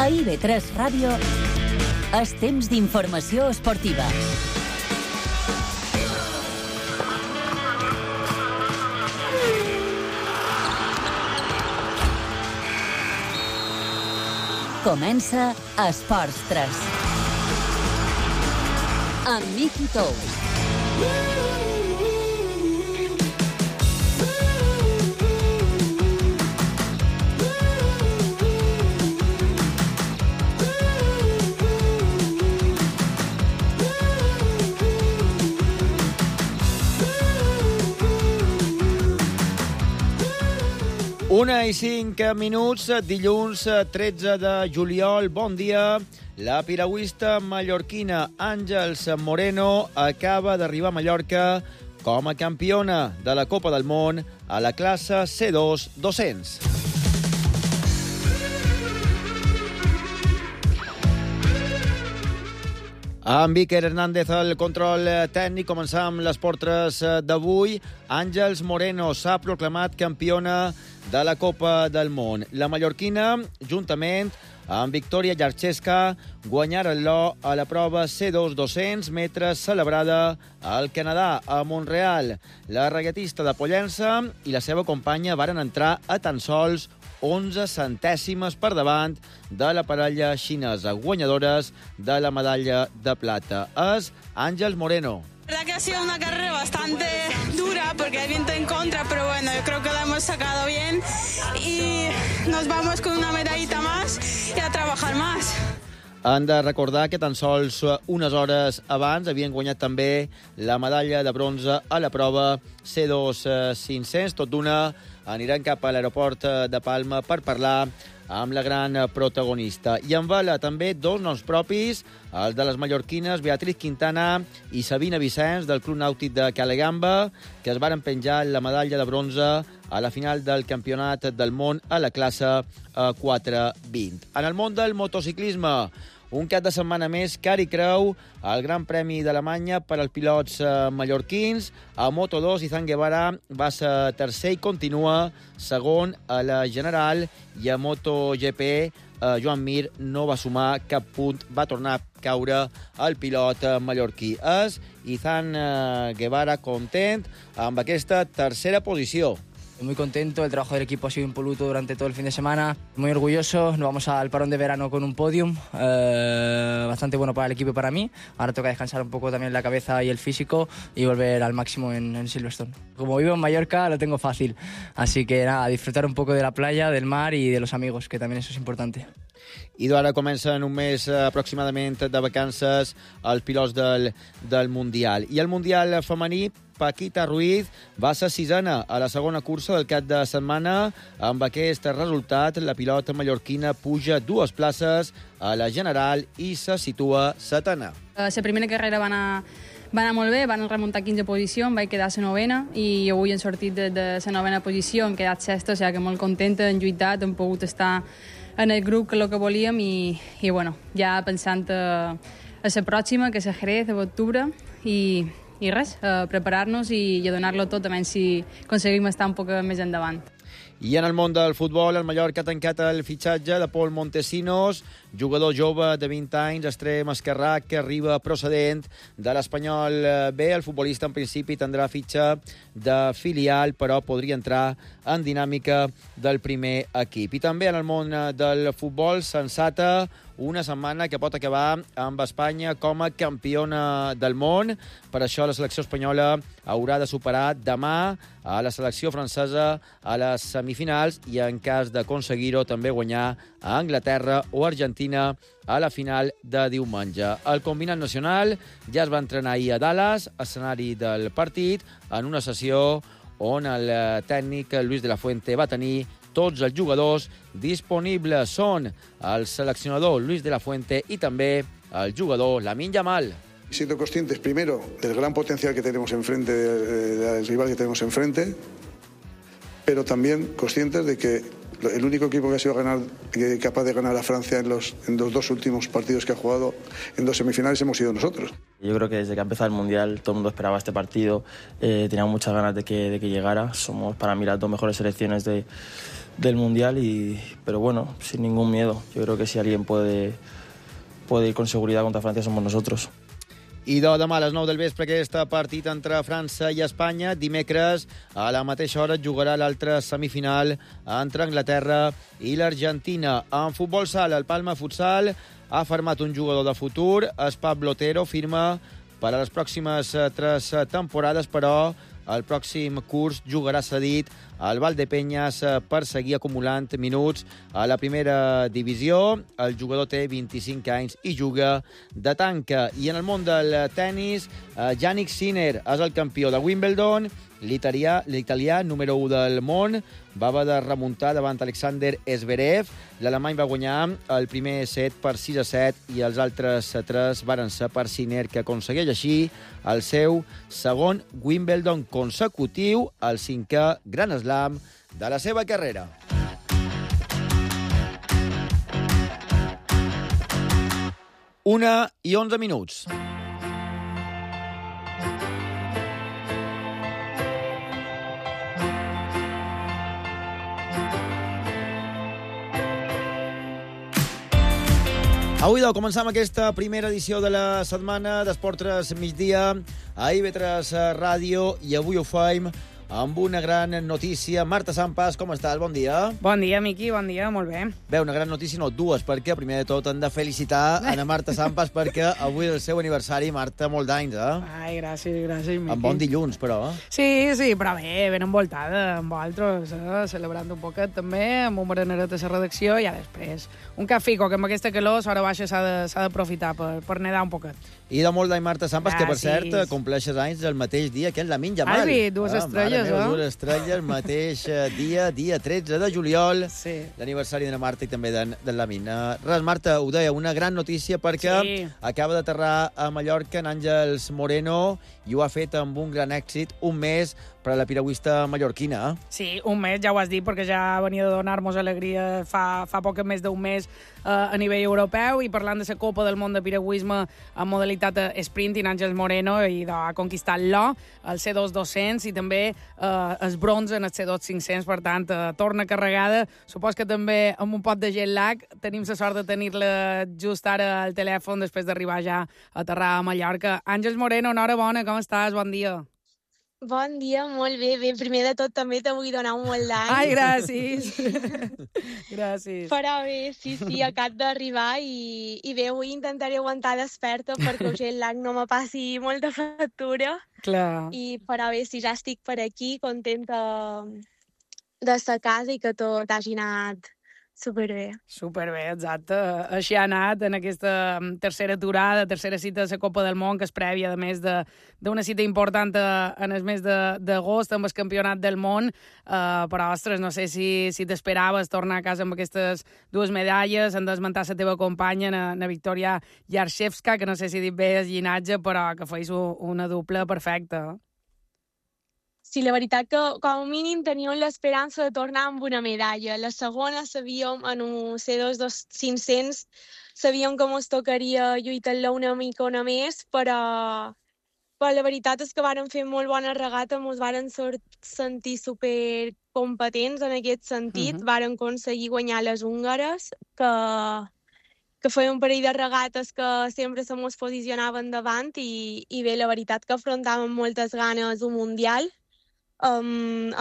A IB3 Ràdio és temps d'informació esportiva. Comença Esports 3. Amb Miqui Tous. Una i 5 minuts, dilluns 13 de juliol. Bon dia. La piragüista mallorquina Àngels Moreno acaba d'arribar a Mallorca com a campiona de la Copa del Món a la classe C2 200. Amb Iker Hernández al control tècnic, començam les portres d'avui. Àngels Moreno s'ha proclamat campiona de la Copa del Món. La mallorquina, juntament amb Victoria Jarcheska, guanyaren l'or a la prova C2 200 metres celebrada al Canadà, a Montreal. La regatista de Pollença i la seva companya varen entrar a tan sols 11 centèsimes per davant de la parella xinesa, guanyadores de la medalla de plata. És Àngels Moreno. La verdad que ha sido una carrera bastante dura porque hay viento en contra, pero bueno, yo creo que la hemos sacado bien y nos vamos con una medallita más y a trabajar más. Han de recordar que tan sols unes hores abans havien guanyat també la medalla de bronze a la prova C2 500. Tot d'una aniran cap a l'aeroport de Palma per parlar amb la gran protagonista. I en vela també dos noms propis, els de les mallorquines Beatriz Quintana i Sabina Vicenç del Club Nàutic de Calegamba, que es varen penjar la medalla de bronze a la final del Campionat del Món a la classe 420. En el món del motociclisme, un cap de setmana més car i creu al Gran Premi d'Alemanya per als pilots mallorquins. A Moto2, Izan Guevara va ser tercer i continua segon a la general, i a MotoGP Joan Mir no va sumar cap punt, va tornar a caure el pilot mallorquí. És Izan Guevara content amb aquesta tercera posició. Muy contento, el trabajo del equipo ha sido impoluto durante todo el fin de semana, muy orgulloso, nos vamos al parón de verano con un podium, bastante bueno para el equipo y para mí. Ahora toca descansar un poco también la cabeza y el físico y volver al máximo en Silverstone. Como vivo en Mallorca lo tengo fácil, así que nada, disfrutar un poco de la playa, del mar y de los amigos, que también eso es importante. I d'ara comencen un mes aproximadament de vacances els pilots del Mundial. I el Mundial femení, Paquita Ruiz va ser sisena a la segona cursa del cap de setmana. Amb aquest resultat, la pilota mallorquina puja 2 places a la general i se situa setena. La primera carrera va anar molt bé, van remuntar 15 posicions, vaig quedar a la novena i avui hem sortit de la novena posició, hem quedat sexta, o sigui que molt contenta, hem lluitat, hem pogut estar en el grup que el que volíem i bueno, ja pensant a la pròxima, que és a Jerez, a l'octubre, i res, preparar-nos i a donar-lo tot, a menys si aconseguim estar un poc més endavant. I en el món del futbol, el Mallorca ha tancat el fitxatge de Pol Montesinos, jugador jove de 20 anys, extrem esquerrà, que arriba procedent de l'Espanyol B. El futbolista, en principi, tindrà fitxa de filial, però podria entrar en dinàmica del primer equip. I també en el món del futbol, sensata una setmana que pot acabar amb Espanya com a campiona del món. Per això la selecció espanyola haurà de superar demà a la selecció francesa a les semifinals i, en cas d'aconseguir-ho, també guanyar a Anglaterra o Argentina a la final de diumenge. El combinat nacional ja es va entrenar ahir a Dallas, escenari del partit, en una sessió on el tècnic Luis de la Fuente va tenir tots els jugadors disponibles. Són el seleccionador Luis de la Fuente i també el jugador Lamine Yamal. Siendo conscientes, primero, del gran potencial que tenemos enfrente, del rival que tenemos enfrente, pero también conscientes de que el único equipo que ha sido capaz de ganar a Francia en los 2 últimos partidos que ha jugado en 2 semifinales hemos sido nosotros. Yo creo que desde que ha empezado el Mundial todo el mundo esperaba este partido, teníamos muchas ganas de que llegara. Somos para mí las 2 mejores selecciones del Mundial, pero bueno, sin ningún miedo. Yo creo que si alguien puede ir con seguridad contra Francia somos nosotros. I demà a les 9 del vespre aquest partit entre França i Espanya. Dimecres, a la mateixa hora, jugarà l'altra semifinal entre Anglaterra i l'Argentina. En futbol sala, el Palma Futsal ha firmat un jugador de futur. Es Pablo Otero, firma per a les pròximes 3 temporades, però el pròxim curs jugarà cedit al Valdepeñas per seguir acumulant minuts a la primera divisió. El jugador té 25 anys i juga de tanca. I en el món del tennis, Jannik Sinner és el campió de Wimbledon. L'italià número 1 del món va haver de remuntar davant Alexander Zverev. L'alemany va guanyar el primer set per 6-7 i els altres 3 varen ser per Sinner, que aconsegueix així el seu segon Wimbledon consecutiu, el 5è Grand Slam de la seva carrera. Una i 11 minuts. Avui, començam aquesta primera edició de la setmana d'Esports Migdia a IB3 Ràdio, i avui ho fem amb una gran notícia. Marta Sampas, com estàs? Bon dia. Bon dia, Miqui, bon dia, molt bé. Bé, una gran notícia, no, dues, perquè primer de tot hem de felicitar a Marta Sampas perquè avui és el seu aniversari. Marta, molt d'anys, Ai, gràcies, Miqui. En bon dilluns, però. Sí, però bé, ben envoltada amb vosaltres, celebrant un poquet també, amb un bereneret a la redacció, i després un cafico, que amb aquesta calor a l'hora baixa s'ha d'aprofitar per nedar un poquet. I de molt d'any, Marta Sampas, que per cert compleixes anys el mateix dia que és Lamine Yamal. Ai, dues estrelles, dues estrelles, mateix dia 13 de juliol, sí. L'aniversari de la Marta i també de Lamine. Res, Marta, ho deia, una gran notícia perquè acaba d'aterrar a Mallorca en Àngels Moreno i ho ha fet amb un gran èxit, un mes per a la piragüista mallorquina. Sí, un mes, ja ho has dit, perquè ja venia de donar-nos alegria fa poc més d'un mes a nivell europeu, i parlant de la Copa del Món de Piragüisme en modalitat sprinting, Àngels Moreno i ha conquistat l'or, el C2 200 i també el bronze en el C2 500, per tant, torna carregada. Supos que també amb un pot de jet lag. Tenim la sort de tenir-la just ara al telèfon després d'arribar ja a aterrar a Mallorca. Àngels Moreno, enhorabona, com estàs? Bon dia. Bon dia, molt bé. Bé, primer de tot també te vull donar un molt d'any. Ai, gràcies. Gràcies. Però bé, sí, acabo d'arribar i bé, avui intentaré aguantar desperta perquè el jet lag no me passi molta factura. Clar. Però bé, si ja estic per aquí, contenta de sa casa i que tot hagi anat superbé. Superbé, exacte. Així ha anat en aquesta tercera aturada, tercera cita de la Copa del Món, que és prèvia, a més d'una cita important en el mes d'agost amb el Campionat del Món. Però, ostres, no sé si t'esperaves tornar a casa amb aquestes dues medalles. Han d'esmentar la teva companya, na Victoria Yarshevska, que no sé si he dit bé el llinatge, però que feis una dupla perfecta. Sí, la veritat que com a mínim teníem l'esperança de tornar amb una medalla. La segona sabíem, en un C2 500, sabíem que ens tocaria lluitar-la una mica més, però la veritat és que vàrem fer molt bona regata, ens vàrem sentir supercompetents en aquest sentit. Vàrem aconseguir guanyar les húngares, que feien un parell de regates que sempre se mos posicionaven davant, i bé, la veritat que afrontàvem moltes ganes un mundial. A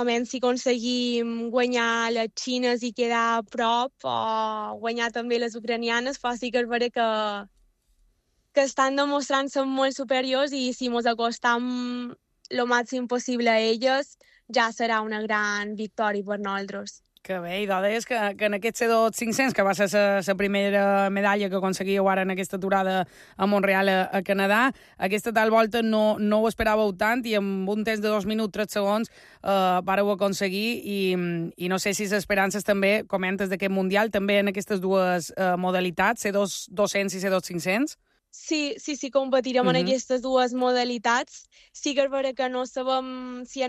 menys si aconseguim guanyar les xines i quedar a prop, o guanyar també les ucranianes, però sí que és vera que estan demostrant-se molt superiors, i si ens acostam el màxim possible a elles, ja serà una gran victòria per nosaltres. Que bé, i deies que en aquest C2 500, que va ser la primera medalla que aconseguíeu ara en aquesta aturada a Montreal, a Canadà, aquesta tal volta no ho esperàveu tant, i amb un temps de 2 minuts 3 segons vàreu aconseguir, i no sé si les esperances també, comentes d'aquest Mundial, també en aquestes dues modalitats, C2 200 i C2 500? Sí, competirem en aquestes dues modalitats. Sí que és vera que no sabem si,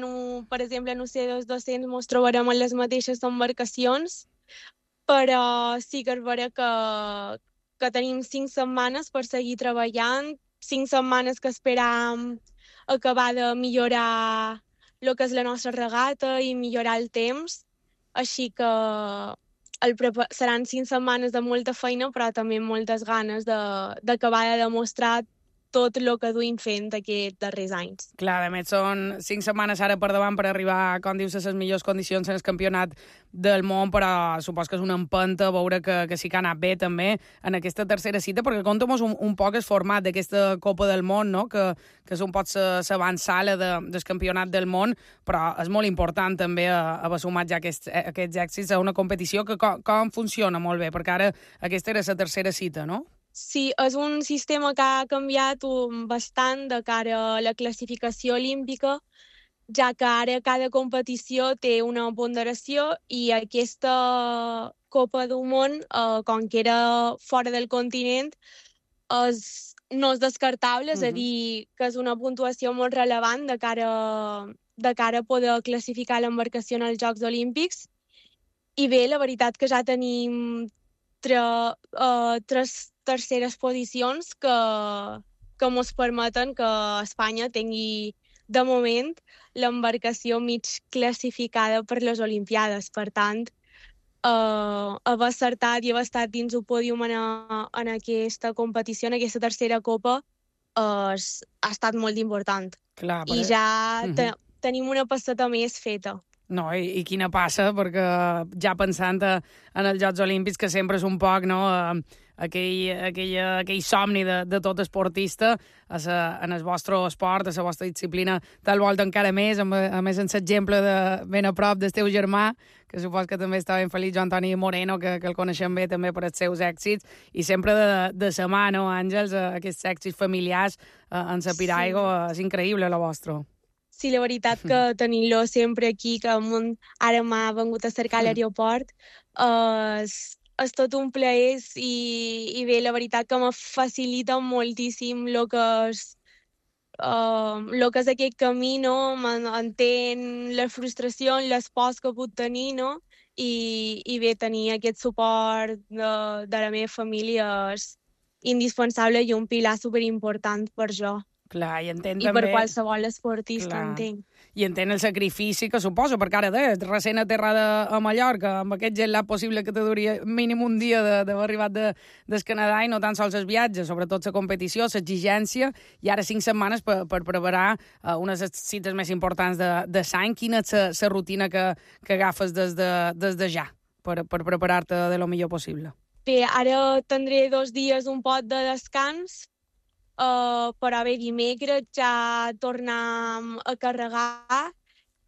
per exemple, en un C2 200 ens trobarem en les mateixes embarcacions, però sí que és vera que tenim 5 setmanes per seguir treballant, 5 setmanes que esperam acabar de millorar el que és la nostra regata i millorar el temps, així que seran 5 setmanes de molta feina, però també moltes ganes d'acabar de demostrar tot el que duim fent aquests darrers anys. Clar, a més, són 5 setmanes ara per davant per arribar, com dius, a les millors condicions en el campionat del món, però supos que és una empenta veure que sí que ha anat bé també en aquesta tercera cita, perquè conta'm un poc el format d'aquesta Copa del Món, no? que és un poc l'avançala del campionat del món, però és molt important també haver sumat ja aquests èxits a una competició que com funciona molt bé, perquè ara aquesta era la tercera cita, no? Sí, és un sistema que ha canviat bastant de cara a la classificació olímpica, ja que ara cada competició té una ponderació i aquesta Copa del Món, com que era fora del continent, no és descartable, és a dir, que és una puntuació molt relevant de cara a poder classificar l'embarcació en els Jocs Olímpics. I bé, la veritat que ja tenim tres terceres posicions que ens permeten que Espanya tingui, de moment, l'embarcació mig classificada per les Olimpiades. Per tant, haver acertat i haver estat dins el pòdium en aquesta competició, en aquesta tercera copa, ha estat molt important. Clar, I ja tenim una passeta més feta. No, i quina passa, perquè ja pensant en els Jocs Olímpics, que sempre és un poc, no, aquell somni de tot esportista, en el vostre esport, a la vostra disciplina, te'l volta encara més, a més en l'exemple de ben a prop del teu germà, que supos que també està ben feliç, Joan Antoni Moreno, que el coneixem bé també per els seus èxits, i sempre de sa mà, no, Àngels, aquests èxits familiars en la piragua, és increïble, la vostra. Sí, la veritat que tenir-lo sempre aquí, que ara m'ha vengut a cercar a l'aeroport, és tot un plaer i bé, la veritat que me facilita moltíssim el que és aquest camí, no? Entén la frustració, les pors que puc tenir, no? I bé, tenir aquest suport de la meva família és indispensable i un pilar superimportant per jo. Clar, i entenc I també... per qualsevol esportista, entenc. I entenc el sacrifici que suposa, perquè ara recent aterrada a Mallorca, amb aquest gelat possible que te duria mínim un dia d'haver arribat del Canadà, i no tan sols els viatges, sobretot la competició, l'exigència, i ara 5 setmanes per preparar unes cites més importants de l'any. Quina és la rutina que agafes des de ja per preparar-te de lo millor possible? Bé, ara tindré 2 dies un pot de descans, però bé, dimecres ja tornem a carregar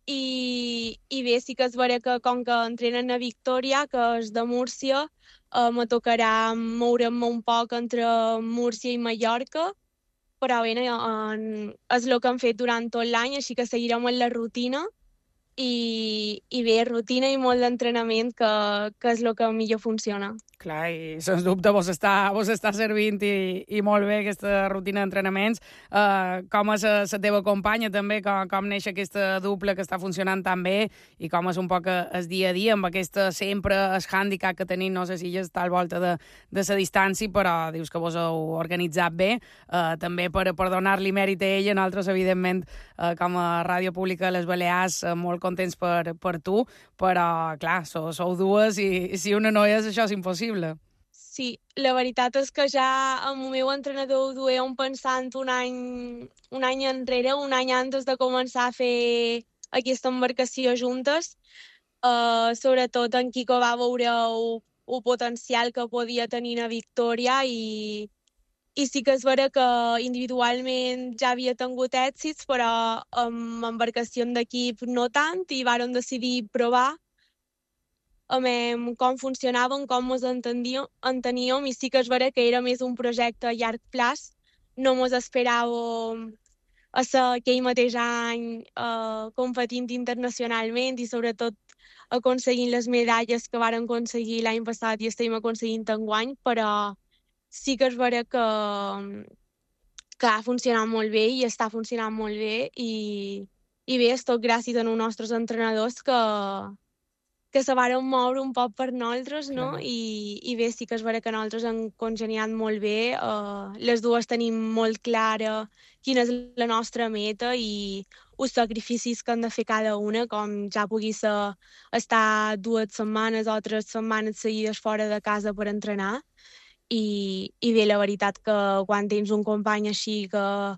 i bé, sí que és vera que com que entrenen a Victòria, que és de Múrcia, me tocarà moure'm un poc entre Múrcia i Mallorca, però bé, és el que hem fet durant tot l'any, així que seguirem en la rutina i bé, rutina i molt d'entrenament, que és el que millor funciona. Clar, i sens dubte vos està servint i molt bé aquesta rutina d'entrenaments. Com és la teva companya també, com neix aquesta dupla que està funcionant tan bé i com és un poc el dia a dia amb aquesta sempre el hàndicap que tenim, no sé si ja està al volta de la distància, però dius que vos heu organitzat bé, també per donar-li mèrit a ella. Nosaltres, evidentment, com a Ràdio Pública de les Balears, molt contents per tu, però clar, sou dues i si una no és, això és impossible. Sí, la veritat és que ja amb el meu entrenador ho duem pensant un any enrere, un any antes de començar a fer aquesta embarcació juntes. Sobretot en Quico va veure el potencial que podia tenir a Victòria i sí que és vera que individualment ja havia tingut èxits, però amb embarcació d'equip no tant, i vàrem decidir provar com funcionaven, com ens enteníem, i sí que és vera que era més un projecte a llarg plaç. No ens esperàvem a ser aquell mateix any competint internacionalment i sobretot aconseguint les medalles que varen aconseguir l'any passat i estem aconseguint enguany, però sí que és vera que ha funcionat molt bé i està funcionant molt bé i bé, és tot gràcies als nostres entrenadors que que se varen moure un poc per nosaltres, no? I bé, sí que és vera que nosaltres hem congeniat molt bé. Les dues tenim molt clara quina és la nostra meta i els sacrificis que hem de fer cada una, com ja pugui ser estar 2 setmanes o 3 setmanes seguides fora de casa per entrenar. I bé, la veritat que quan tens un company així que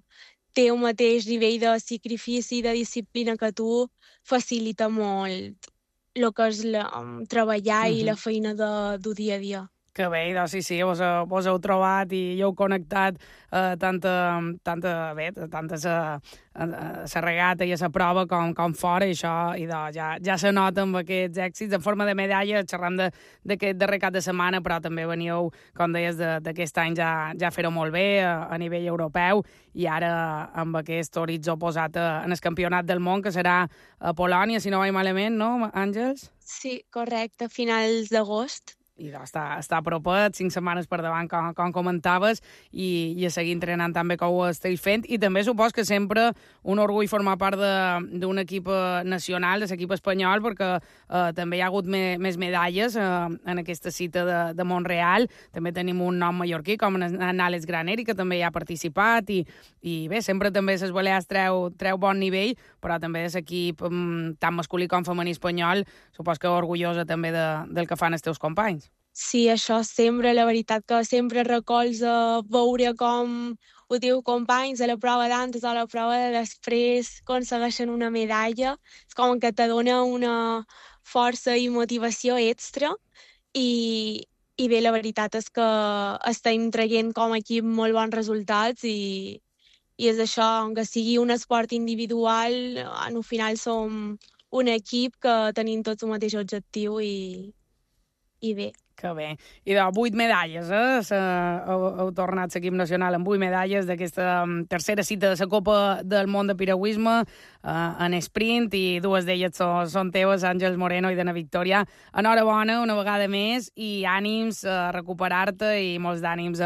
té el mateix nivell de sacrifici i de disciplina que tu, facilita molt el que és treballar i la feina del dia a dia. Que bé, doncs sí, vos heu trobat i heu connectat tant a la regata i a la prova com fora, i això ja se nota amb aquests èxits. En forma de medalla, xerram d'aquest darrer cap de setmana, però també veníeu, com deies, d'aquest any ja fer-ho molt bé a nivell europeu, i ara amb aquest horitzó posat en el campionat del món, que serà a Polònia, si no vaig malament, no, Àngels? Sí, correcte, a finals d'agost. I està a propet, 5 setmanes per davant, com comentaves, i a seguir entrenant també com ho esteu fent. I també supos que sempre un orgull formar part d'un equip nacional, de l'equip espanyol, perquè també hi ha hagut més medalles en aquesta cita de Montreal. També tenim un nom mallorquí, com en Àlex Graneri, que també hi ha participat, i bé, sempre també les Balears treu bon nivell, però també l'equip tant masculí com femení espanyol, supos que orgullosa també del que fan els teus companys. Sí, això sempre, la veritat que sempre recolza veure com ho diu companys a la prova d'antes o a la prova de després aconsegueixen una medalla. És com que te dona una força i motivació extra i bé, la veritat és que estem traient com a equip molt bons resultats i és això, que sigui un esport individual, al final som un equip que tenim tots el mateix objectiu i bé. Que bé. I de 8 medalles, heu tornat l'equip nacional amb 8 medalles d'aquesta tercera cita de la Copa del Món de Piragüisme en sprint, i 2 d'elles són teves, Àngels Moreno i Dana Victòria. Enhorabona una vegada més i ànims a recuperar-te i molts d'ànims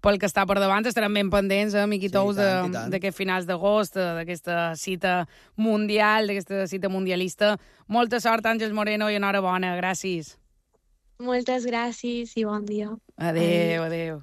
pel que està per davant. Estarem ben pendents, Miqui Tous, d'aquests finals d'agost, d'aquesta cita mundial, d'aquesta cita mundialista. Molta sort, Àngels Moreno, i enhorabona. Gràcies. Moltes gràcies i bon dia. Adéu.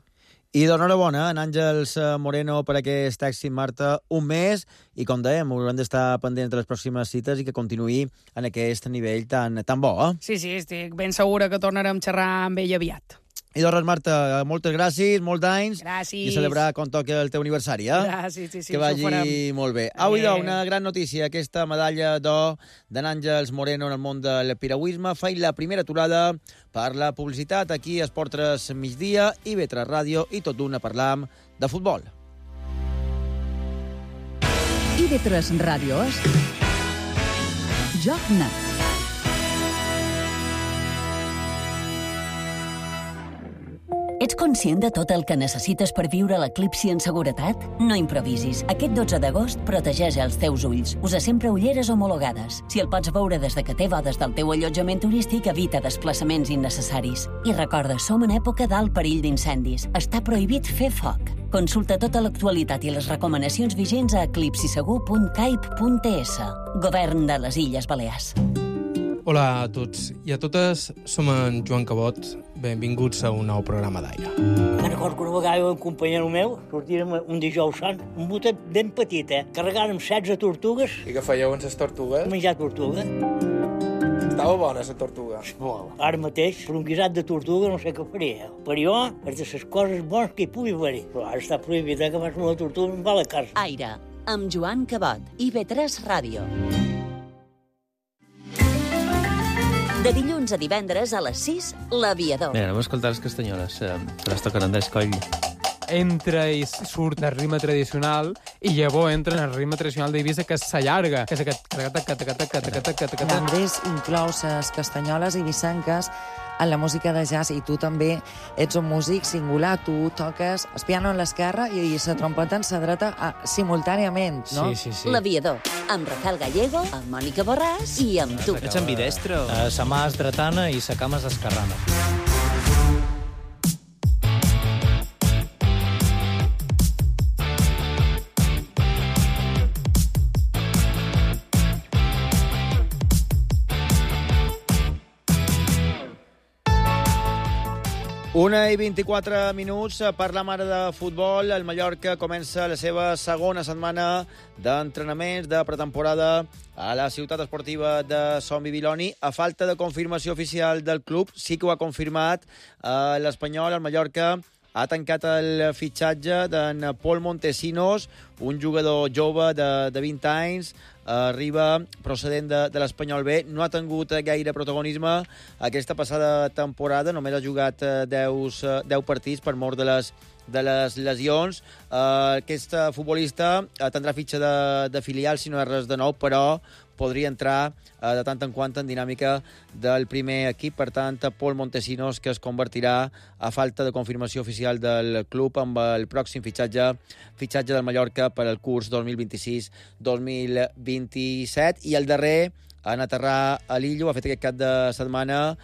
I d'enhorabona, en Àngels Moreno, per aquest èxit, Marta, un mes, i com dèiem, haurem d'estar pendents de les pròximes cites i que continuï en aquest nivell tan bo. Sí, estic ben segura que tornarem a xerrar amb ell aviat. I doncs res, Marta, moltes gràcies, molts d'anys. Gràcies. I celebrar quan toqui el teu aniversari, Gràcies, sí. Que vagi molt bé. Avui, una gran notícia, aquesta medalla d'or d'en Àngels Moreno en el món del piragüisme. Feim la primera aturada per la publicitat aquí a Esport 3 migdia i B3 Ràdio, i tot d'una parlam de futbol. IB3 Ràdio és Joc Net. Ets conscient de tot el que necessites per viure l'eclipsi en seguretat? No improvisis. Aquest 12 d'agost protegeix els teus ulls. Usa sempre ulleres homologades. Si el pots veure des de que té bodes del teu allotjament turístic, evita desplaçaments innecessaris. I recorda, som en època d'alt perill d'incendis. Està prohibit fer foc. Consulta tota l'actualitat i les recomanacions vigents a eclipsisegur.caip.es. Govern de les Illes Balears. Hola a tots i a totes, som en Joan Cabot. Benvinguts a un nou programa d'aire. Me'n recordo que una vegada un companyero meu sortíem un dijous sant, un botet ben petit, carregàrem 16 tortugues. I què fèieu amb les tortugues? Menjar tortuga. Estava bona, la tortuga. Molt. Ara mateix, per un guisat de tortuga, no sé què faria. Per jo, és de les coses bones que hi pugui haver-hi. Però ara està prohibit que fas una tortuga amb la casa. Aire, amb Joan Cabot, IB3 Ràdio. De dilluns a divendres a les 6, L'Aviador. Mira, anem a escoltar les castanyoles, que les toquen Andrés Coll. Entra i surt el ritme tradicional i llavors entra en el ritme tradicional d'Eivissa, que s'allarga, que és aquest... L'Andrés inclou les castanyoles eivissenques en la música de jazz, i tu també ets un músic singular. Tu toques el piano en l'esquerra i la trompeta en la dreta simultàniament, no? Sí. L'Aviador, amb Rafael Gallego, amb Mònica Borràs i amb tu. Ets ambidestro. Sa mà és dretana i sa cama és esquerrana. 1:24 per la mare de futbol. El Mallorca comença la seva segona setmana d'entrenaments de pretemporada a la ciutat esportiva de Son Bibiloni. A falta de confirmació oficial del club, sí que ho ha confirmat l'Espanyol. El Mallorca ha tancat el fitxatge d'en Pol Montesinos, un jugador jove de 20 anys, arriba procedent de l'Espanyol B. No ha tingut gaire protagonisme aquesta passada temporada, només ha jugat 10 partits per mort de les lesions. Aquest futbolista tindrà fitxa de filial, si no és res de nou, però podria entrar de tant en quant en dinàmica del primer equip. Per tant, Pol Montesinos, que es convertirà, a falta de confirmació oficial del club, amb el pròxim fitxatge del Mallorca per al curs 2026-2027. I el darrer en aterrar a l'Illo, ha fet aquest cap de setmana,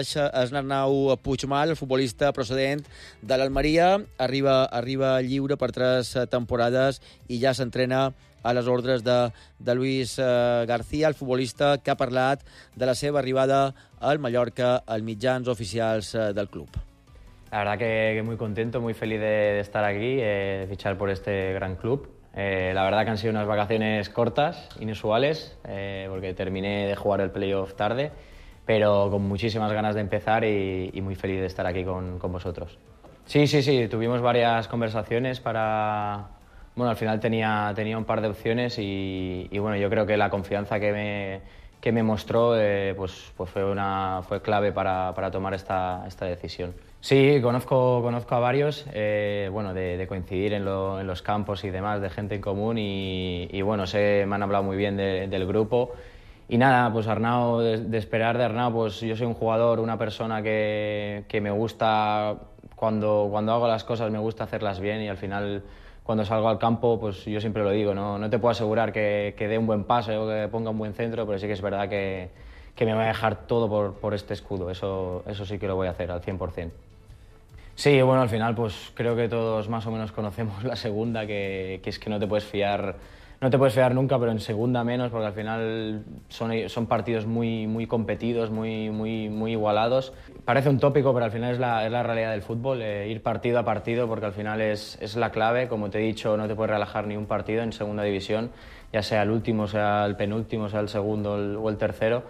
és Arnau Puigmal, el futbolista procedent de l'Almeria. Arriba lliure per 3 temporades i ja s'entrena a les ordres de Luis García, el futbolista que ha parlat de la seva arribada al Mallorca als mitjans oficials del club. La verdad que muy contento, muy feliz de estar aquí, de fichar por este gran club. La verdad que han sido unas vacaciones cortas, inusuales, porque terminé de jugar el playoff tarde, pero con muchísimas ganas de empezar y muy feliz de estar aquí con vosotros. Sí, tuvimos varias conversaciones para... Bueno, al final tenía un par de opciones y bueno, yo creo que la confianza que me mostró fue clave para tomar esta decisión. Sí, conozco a varios, de coincidir en los campos y demás, de gente en común y bueno, me han hablado muy bien del grupo. Y nada, pues Arnau, de esperar de Arnau, pues yo soy un jugador, una persona que me gusta, cuando hago las cosas me gusta hacerlas bien y al final... Cuando salgo al campo, pues yo siempre lo digo, no te puedo asegurar que dé un buen pase o que ponga un buen centro, pero sí que es verdad que me va a dejar todo por este escudo. Eso sí que lo voy a hacer al 100%. Sí, bueno, al final pues creo que todos más o menos conocemos la segunda, que es que no te puedes fiar nunca, pero en segunda menos, porque al final son partidos muy competidos, muy igualados. Parece un tópico, pero al final es la realidad del fútbol, ir partido a partido, porque al final es la clave. Como te he dicho, no te puedes relajar ni un partido en segunda división, ya sea el último, sea el penúltimo, sea el segundo o el tercero.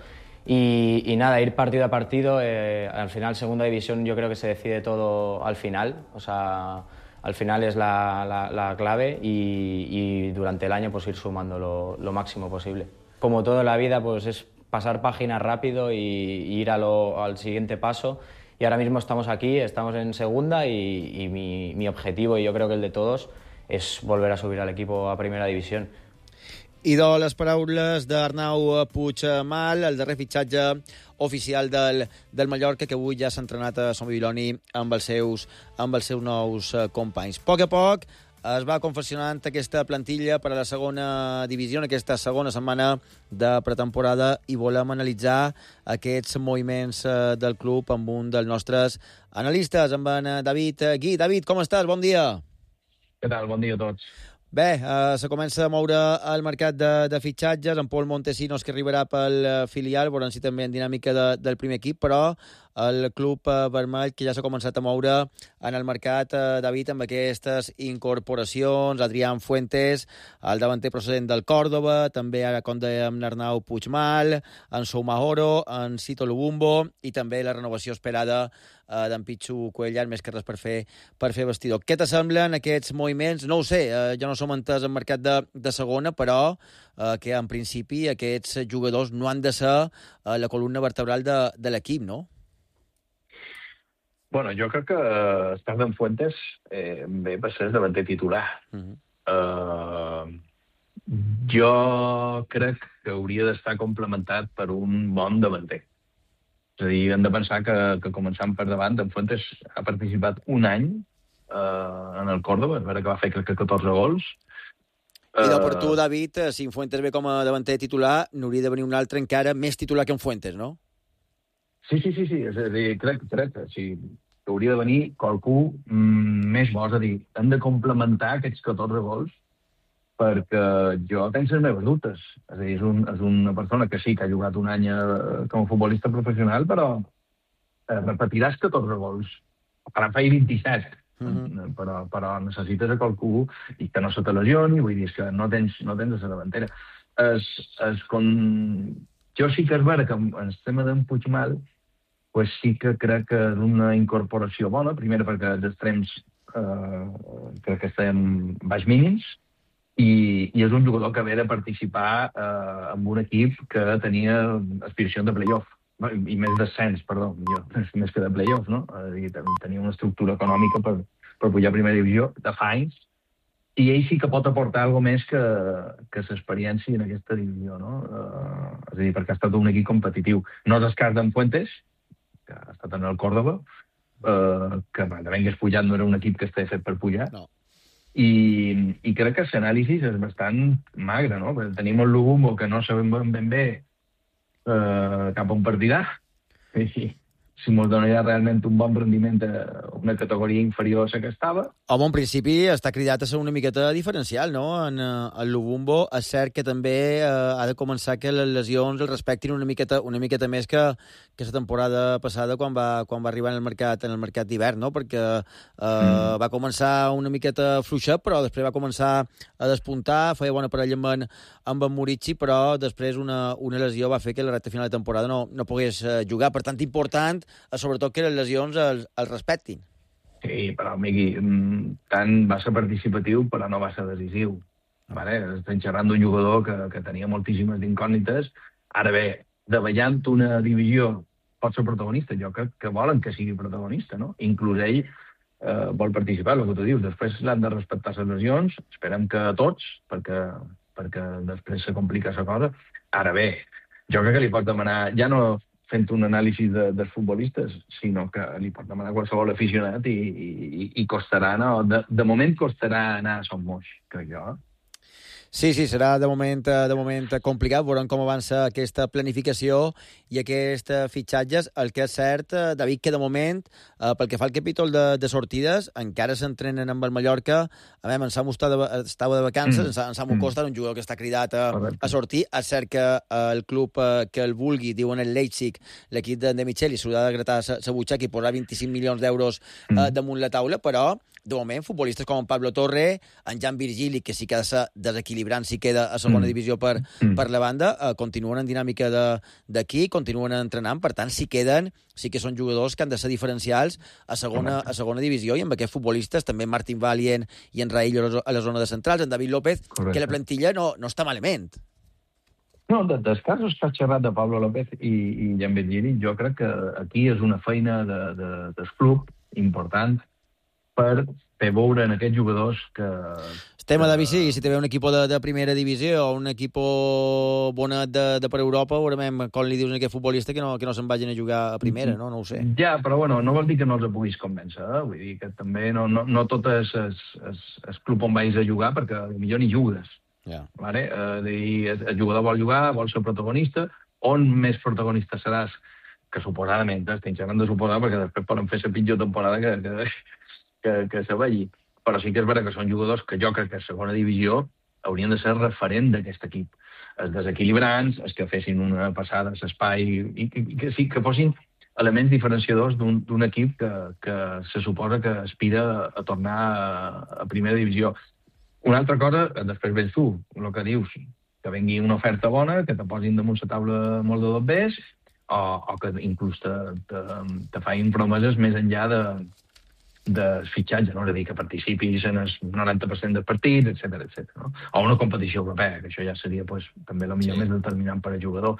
Y nada, ir partido a partido, al final segunda división yo creo que se decide todo al final, o sea... Al final es la clave y durante el año pues ir sumando lo máximo posible. Como todo en la vida, pues es pasar página rápido y ir al siguiente paso. Y ahora mismo estamos aquí, estamos en segunda y mi objetivo, y yo creo que el de todos, es volver a subir al equipo a primera división. I de les paraules d'Arnau Puigmal, el darrer fitxatge oficial del Mallorca, que avui ja s'ha entrenat a Son Bibiloni amb els seus nous companys. A poc es va confeccionant aquesta plantilla per a la segona divisió, en aquesta segona setmana de pretemporada, i volem analitzar aquests moviments del club amb un dels nostres analistes, amb en David Gui. David, com estàs? Bon dia. Què tal? Bon dia a tots. Bé, se comença a moure el mercat de fitxatges, amb Pol Montesinos, que arribarà pel filial, veurem si també en dinàmica del primer equip, però el club vermell, que ja s'ha començat a moure en el mercat, David, amb aquestes incorporacions, Adrián Fuentes, el davanter procedent del Córdoba, també ara, com dèiem, Arnau Puigmal, en Soumahoro, en Cito Lubumbo, i també la renovació esperada d'en Pichu Cuellar, més que res per fer vestidor. Què t'assemblen aquests moviments? No ho sé, jo no som entès en mercat de segona, però que en principi aquests jugadors no han de ser la columna vertebral de l'equip, no? Bueno, jo crec que Steven Fuentes ve per ser el davanter titular. Jo crec que hauria d'estar complementat per un bon davanter. És a dir, hem de pensar que començant per davant, en Fuentes ha participat un any en el Córdoba, és vera que va fer crec que 14 gols. I per tu, David, si en Fuentes ve com a davanter titular, n'hauria de venir un altre encara més titular que en Fuentes, no? Sí, és a dir, crec que sí, hauria de venir qualcú més bo, és a dir, hem de complementar aquests 14 gols, perquè jo tenc les meves dubtes. És a dir, és una persona que sí que ha jugat un any com a futbolista professional, però repetiràs 14 gols Faran 27, però necessites a qualcú i que no se te lesioni, vull dir, que no tens a la davantera. Jo sí que és vera que en el tema d'en Puigmal pues sí que crec que és una incorporació bona, primer perquè els extrems crec que estem baix mínims, i és un jugador que ve de participar en un equip que tenia aspiració de play-off, i més descens, perdó, més que de play-off, no? Tenia una estructura econòmica per pujar a primera divisió de fa anys, i ell sí que pot aportar alguna més que l'experiència en aquesta divisió, no? És a dir, perquè ha estat un equip competitiu. No és el cas d'en Fuentes, que ha estat en el Córdoba, que també hagués pujat, no era un equip que estava fet per pujar, i crec que l'anàlisi és bastant magre, no? Perquè tenim el Lubumbo, que no sabem ben bé cap on partirà, i si ens donaria realment un bon rendiment a una categoria inferior a la que estava. Home, en principi està cridat a ser una miqueta diferencial, no? En el Lubumbo és cert que també ha de començar que les lesions el respectin una miqueta més que la temporada passada quan va arribar en el mercat d'hivern, no? Perquè va començar una miqueta fluixet, però després va començar a despuntar, feia bona parella amb en Murici, però després una lesió va fer que la recta final de temporada no pogués jugar. Per tant, important, sobretot que les lesions els respectin. Sí, però, Miqui, tant va ser participatiu, però no va ser decisiu. Estem xerrant d'un jugador que tenia moltíssimes incògnites. Ara bé, davallant una divisió pot ser protagonista. Jo crec que volen que sigui protagonista, no? Inclús ell vol participar, el que tu dius. Després l'han de respectar les lesions, esperem que a tots, perquè després se complica la cosa. Ara bé, jo crec que li pot demanar, ja no fent un anàlisi dels futbolistes, sinó que li pot demanar qualsevol aficionat i costarà, no? De moment costarà anar a Son Moix, crec jo. Sí, serà de moment complicat. Veurem com avança aquesta planificació i aquests fitxatges. El que és cert, David, que de moment, pel que fa al capítol de sortides, encara s'entrenen amb el Mallorca. En Samu estava de vacances, en Samu Costa, un jugador que està cridat a sortir. És cert que el club que el vulgui, diuen el Leipzig, l'equip de Micheli, s'haurà de gratar la butxaca i posar 25 milions d'euros damunt la taula, però de moment, futbolistes com en Pablo Torre, en Jan Virgili, que sí que ha de ser desequilibrant si queda a segona divisió per la banda, continuen en dinàmica d'aquí, continuen entrenant, per tant, si queden, sí que són jugadors que han de ser diferencials a segona divisió, i amb aquests futbolistes, també Martín Valient i en Raillo a la zona de centrals, en David López, que la plantilla no està malament. No, dels casos que has xerrat de Pablo López i Jan Virgili, jo crec que aquí és una feina del club important per fer veure en aquests jugadors que... Estem a David, sí, si té un equip de primera divisió o un equip bonet de per Europa, veurem com li dius a aquest futbolista que no se'n vagin a jugar a primera, no ho sé. Ja, però bueno, no vol dir que no els puguis convèncer, vull dir que també no tot és el club on vagis a jugar, perquè millor ni jugues. El jugador vol jugar, vol ser protagonista, on més protagonista seràs, que suposadament, estem xerrant de suposar, perquè després poden fer la pitjor temporada que se vegi. Però sí que és vera que són jugadors que jo crec que a segona divisió haurien de ser referent d'aquest equip. Els desequilibrants, els que fessin una passada a l'espai, i que fossin elements diferenciadors d'un equip que se suposa que aspira a tornar a primera divisió. Una altra cosa, després vens tu, el que dius, que vengui una oferta bona, que te posin damunt la taula molt de dobbers, o que inclús te facin promeses més enllà de fitxatge, no? És a dir, que participis en el 90% dels partits, etc. No? O una competició europea, que això ja seria també el millor més determinant per al jugador.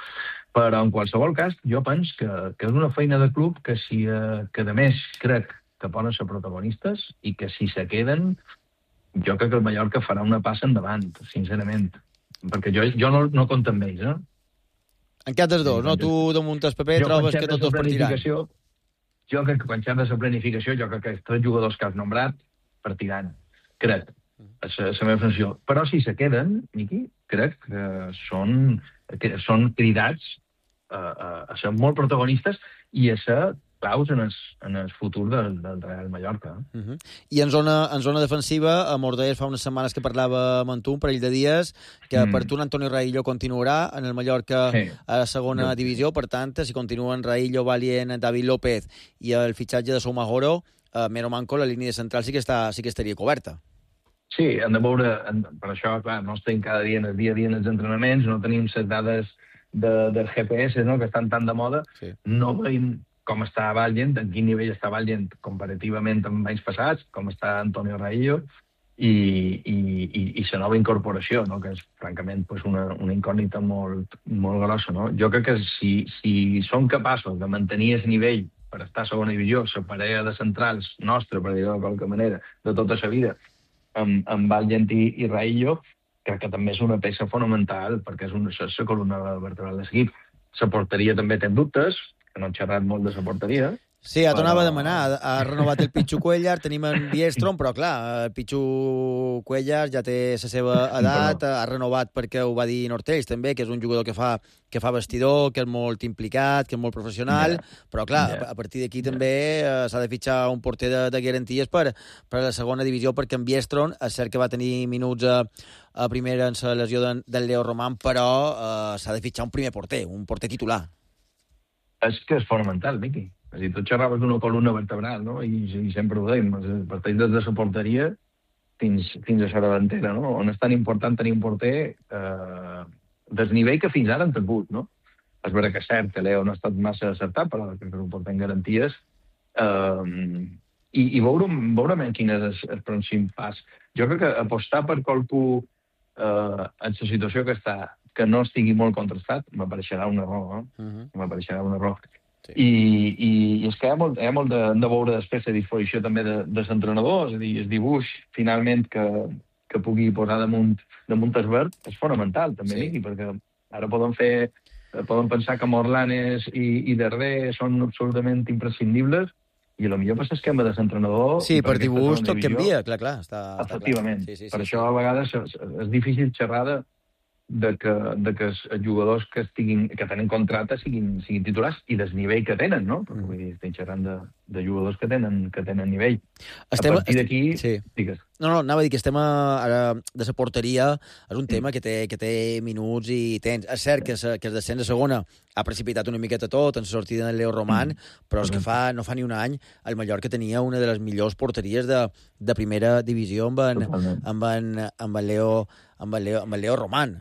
Però en qualsevol cas, jo penso que és una feina de club que a més crec que poden ser protagonistes i que si se queden, jo crec que el Mallorca farà una passa endavant, sincerament. Perquè jo no compto amb ells, En cap dels dos, no? Tu damunt el paper trobes que tots partiran. Jo crec que quan xerres de planificació, jo crec que els 3 jugadors que has nombrat partiran. Crec. És la meva funció. Però si se queden, Miqui, crec que són cridats a ser molt protagonistes i a ser claus en el futur del Real Mallorca. I en zona defensiva, a Mordés fa unes setmanes que parlava amb tu, un parell de dies, que per tu Antonio Raillo continuarà en el Mallorca a la segona divisió. Per tant, si continuen Raillo, Valient, David López i el fitxatge de Soumahoro, Mero manco, la línia central sí que estaria coberta. Sí, hem de veure, per això, clar, no estem cada dia en el dia a dia en els entrenaments, no tenim les dades del GPS, no?, que estan tan de moda, no veiem com està Valgent, en quin nivell està Valgent comparativament amb anys passats, com està Antonio Raillo, i la nova incorporació, no?, que és, francament, pues una incògnita molt grossa, no? Jo crec que si són capaços de mantenir el nivell per estar a segona divisió, la parella de centrals nostra, per dir-ho de qualque manera, de tota la vida, amb Valgent i Raillo, crec que també és una peça fonamental, perquè és la columna vertebral de l'equip. La porteria també té dubtes, que no hem xerrat molt de la porteria. Sí, ja t'anava a demanar. Ha renovat el Pichu Cuellar, tenim en Biestrom, però clar, el Pichu Cuellar ja té la seva edat, ha renovat perquè ho va dir Nortells també, que és un jugador que fa vestidor, que és molt implicat, que és molt professional, però clar, a partir d'aquí també s'ha de fitxar un porter de garanties per a la segona divisió, perquè en Biestrom és cert que va tenir minuts a primera en la lesió del Leo Román, però s'ha de fitxar un primer porter, un porter titular. És que és fonamental, Miqui. És a dir, tu xerraves d'una columna vertebral, no?, i sempre ho dèiem, parteix des de la porteria fins a la davantera, no?, on és tan important tenir un porter del nivell que fins ara han tingut, no? És vera que és cert que Leo no ha estat massa acertat, però que és un porter en garanties, i veurem quin és el pròxim pas. Jo crec que apostar per qualcú en la situació que està, que no estigui molt contrastat, m'apareixerà un error, m'apareixerà un error. I és que hi ha molt de veure després la disposició també de l'entrenador, és a dir, el dibuix, finalment, que pugui posar damunt el verd, és fonamental, també, Miqui, perquè ara poden pensar que Morlanes i Darder són absolutament imprescindibles, i potser per l'esquema de l'entrenador... Sí, per dibuix tot canvia, clar. Efectivament. Per això a vegades és difícil xerrar de que els jugadors que tenen contracte siguin titulars i del nivell que tenen, no? Perquè vull dir, estem xerrant de jugadors que tenen nivell. A partir d'aquí... Digues. No, anava a dir que estem ara de la porteria, és un tema que té minuts i temps. És cert que el descens de segona ha precipitat una miqueta tot en la sortida del Leo Román, però és que no fa ni un any el Mallorca tenia una de les millors porteries de primera divisió amb el Leo Román.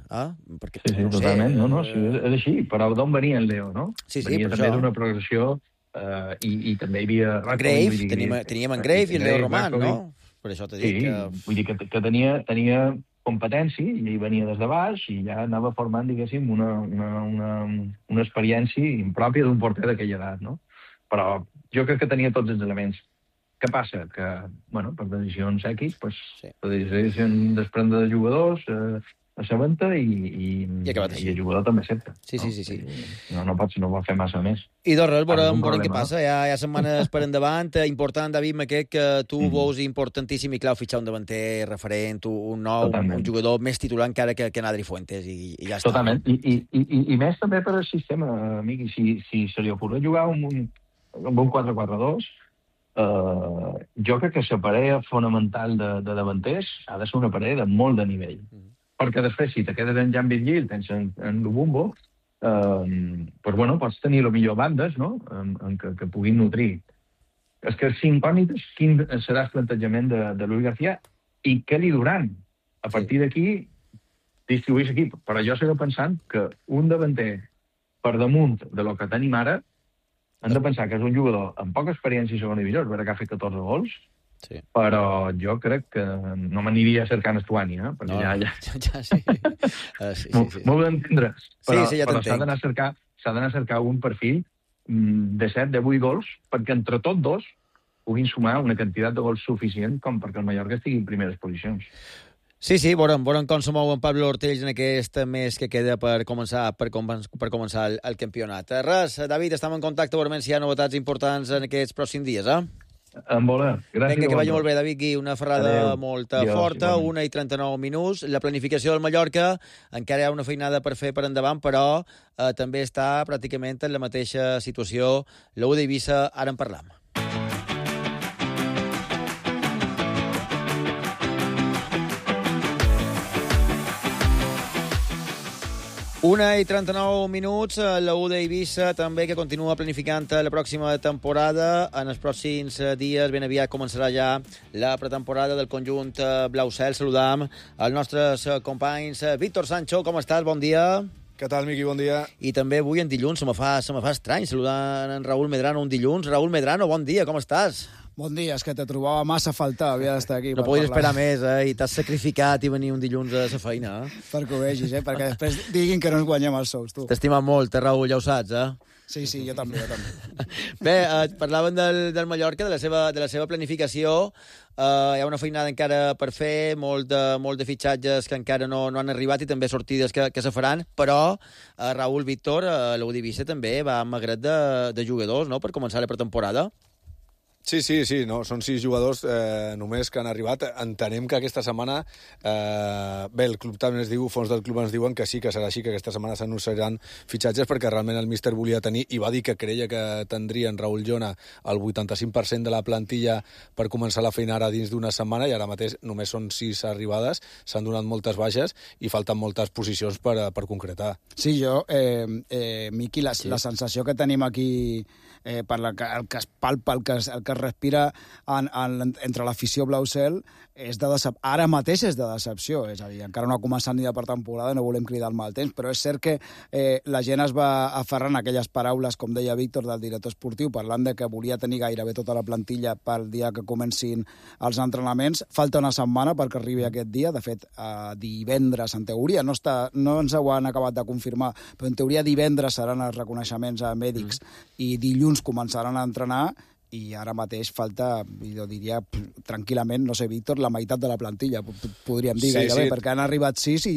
Sí, totalment. No, és així. Però d'on venia el Leo, no? Sí, venia també d'una progressió i també hi havia... Grave, teníem en Grave i el Leo Román, no? Per això t'he dit que... Vull dir que tenia competència i ell venia des de baix i ja anava formant, diguéssim, una experiència impròpia d'un porter d'aquella edat, no? Però jo crec que tenia tots els elements. Què passa? Que, bueno, per decisions X, per decisions desprendre de jugadors, s'aventa i el jugador també accepta. Sí. No pot fer massa més. I res, veurem què passa. Hi ha setmanes per endavant. Important, David Maquet, que tu veus importantíssim i clau fitxar un davanter referent, un nou, un jugador més titular encara que Adri Fuentes, i ja està. Totalment. I més també per al sistema, amic. Si se li ocorre jugar amb un 4-4-2, jo crec que la parella fonamental de davanters ha de ser una parella de molt de nivell. Perquè després, si te quedes en Jan Virgil, tens en Lubumbo, pots tenir millor bandes, no?, que puguin nutrir. És que si incògnites, quin serà el plantejament de Luis García i què li duran? A partir d'aquí, distribuir l'equip. Però jo segueixo pensant que un davanter per damunt de lo que tenim ara, hem de pensar que és un jugador amb poca experiència i segona divisió, és vera que ha fet 14 gols, però jo crec que no m'aniria cercant Estuani, perquè sí. M'ho d'entendre. Però s'ha d'anar a cercar un perfil de 7, de 8 gols, perquè entre tots dos puguin sumar una quantitat de gols suficient com perquè el Mallorca estigui en primeres posicions. Sí, veurem com se mou en Pablo Ortells en aquest mes que queda per començar el campionat. Res, David, estem en contacte, veurem si hi ha novetats importants en aquests pròxims dies, En voler. Gràcies. Vinga, que vagi molt bé, David Gui. Una ferrada molt forta, 1:39 minuts. La planificació del Mallorca encara hi ha una feinada per fer per endavant, però també està pràcticament en la mateixa situació. L'U d'Eivissa, ara en parlam. 1:39, la U d'Eivissa també que continua planificant la pròxima temporada. En els pròxims dies ben aviat començarà ja la pretemporada del conjunt blau-cel. Saludam els nostres companys. Víctor Sancho, com estàs? Bon dia. Què tal, Miqui? Bon dia. I també avui en dilluns se me fa estrany saludar en Raúl Medrano un dilluns. Raúl Medrano, bon dia, com estàs? Bon dia, és que te trobava massa a faltar, havia d'estar aquí. No podies esperar més, i t'has sacrificat i venir un dilluns a la feina. Perquè ho vegis, perquè després diguin que no ens guanyem els sous, tu. T'estimat molt, Raúl, ja ho saps, Sí, jo també. Bé, parlaven del Mallorca, de la seva planificació. Hi ha una feinada encara per fer, molt de fitxatges que encara no han arribat i també sortides que se faran, però Raúl, Víctor, l'U d'Eivissa també va amb magret de jugadors, no?, per començar la pretemporada. Sí, no, són 6 jugadors només que han arribat. Entenem que aquesta setmana, bé, el club també ens diu, fons del club ens diuen que sí, que serà així, que aquesta setmana s'anunciaran fitxatges, perquè realment el míster volia tenir, i va dir que creia que tindria en Raúl Llona el 85% de la plantilla per començar la feina ara dins d'una setmana, i ara mateix només són 6 arribades, s'han donat moltes baixes i falten moltes posicions per concretar. Sí, Miqui, la sensació que tenim aquí, per el que es palpa, el que es respira entre l'afició blau-cel, ara mateix és de decepció, és a dir, encara no ha començat ni de pretemporada, no volem cridar el mal temps, però és cert que la gent es va aferrar en aquelles paraules, com deia Víctor, del director esportiu, parlant de que volia tenir gairebé tota la plantilla pel dia que comencin els entrenaments. Falta una setmana perquè arribi aquest dia, de fet, divendres, en teoria, no ens ho han acabat de confirmar, però en teoria divendres seran els reconeixements a mèdics i dilluns començaran a entrenar, i ara mateix falta, jo diria, tranquil·lament, no sé, Víctor, la meitat de la plantilla, podríem dir gairebé, perquè han arribat 6 i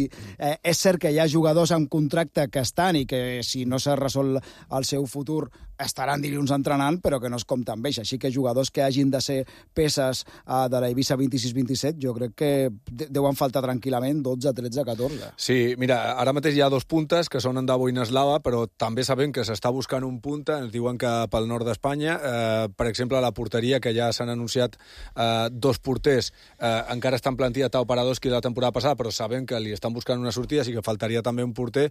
és cert que hi ha jugadors en contracte que estan i que si no s'ha resolt el seu futur estaran dilluns entrenant, però que no es compta amb ells. Així que jugadors que hagin de ser peces de l'Eivissa 26-27, jo crec que deuen faltar tranquil·lament 12, 13, 14. Sí, mira, ara mateix hi ha 2 puntes, que són Endavo i Neslava, però també sabem que s'està buscant un punta, ens diuen que pel nord d'Espanya, per exemple, a la porteria, que ja s'han anunciat 2 porters, encara estan plantilla Tao Paradoski la temporada passada, però sabem que li estan buscant una sortida, així que faltaria també un porter.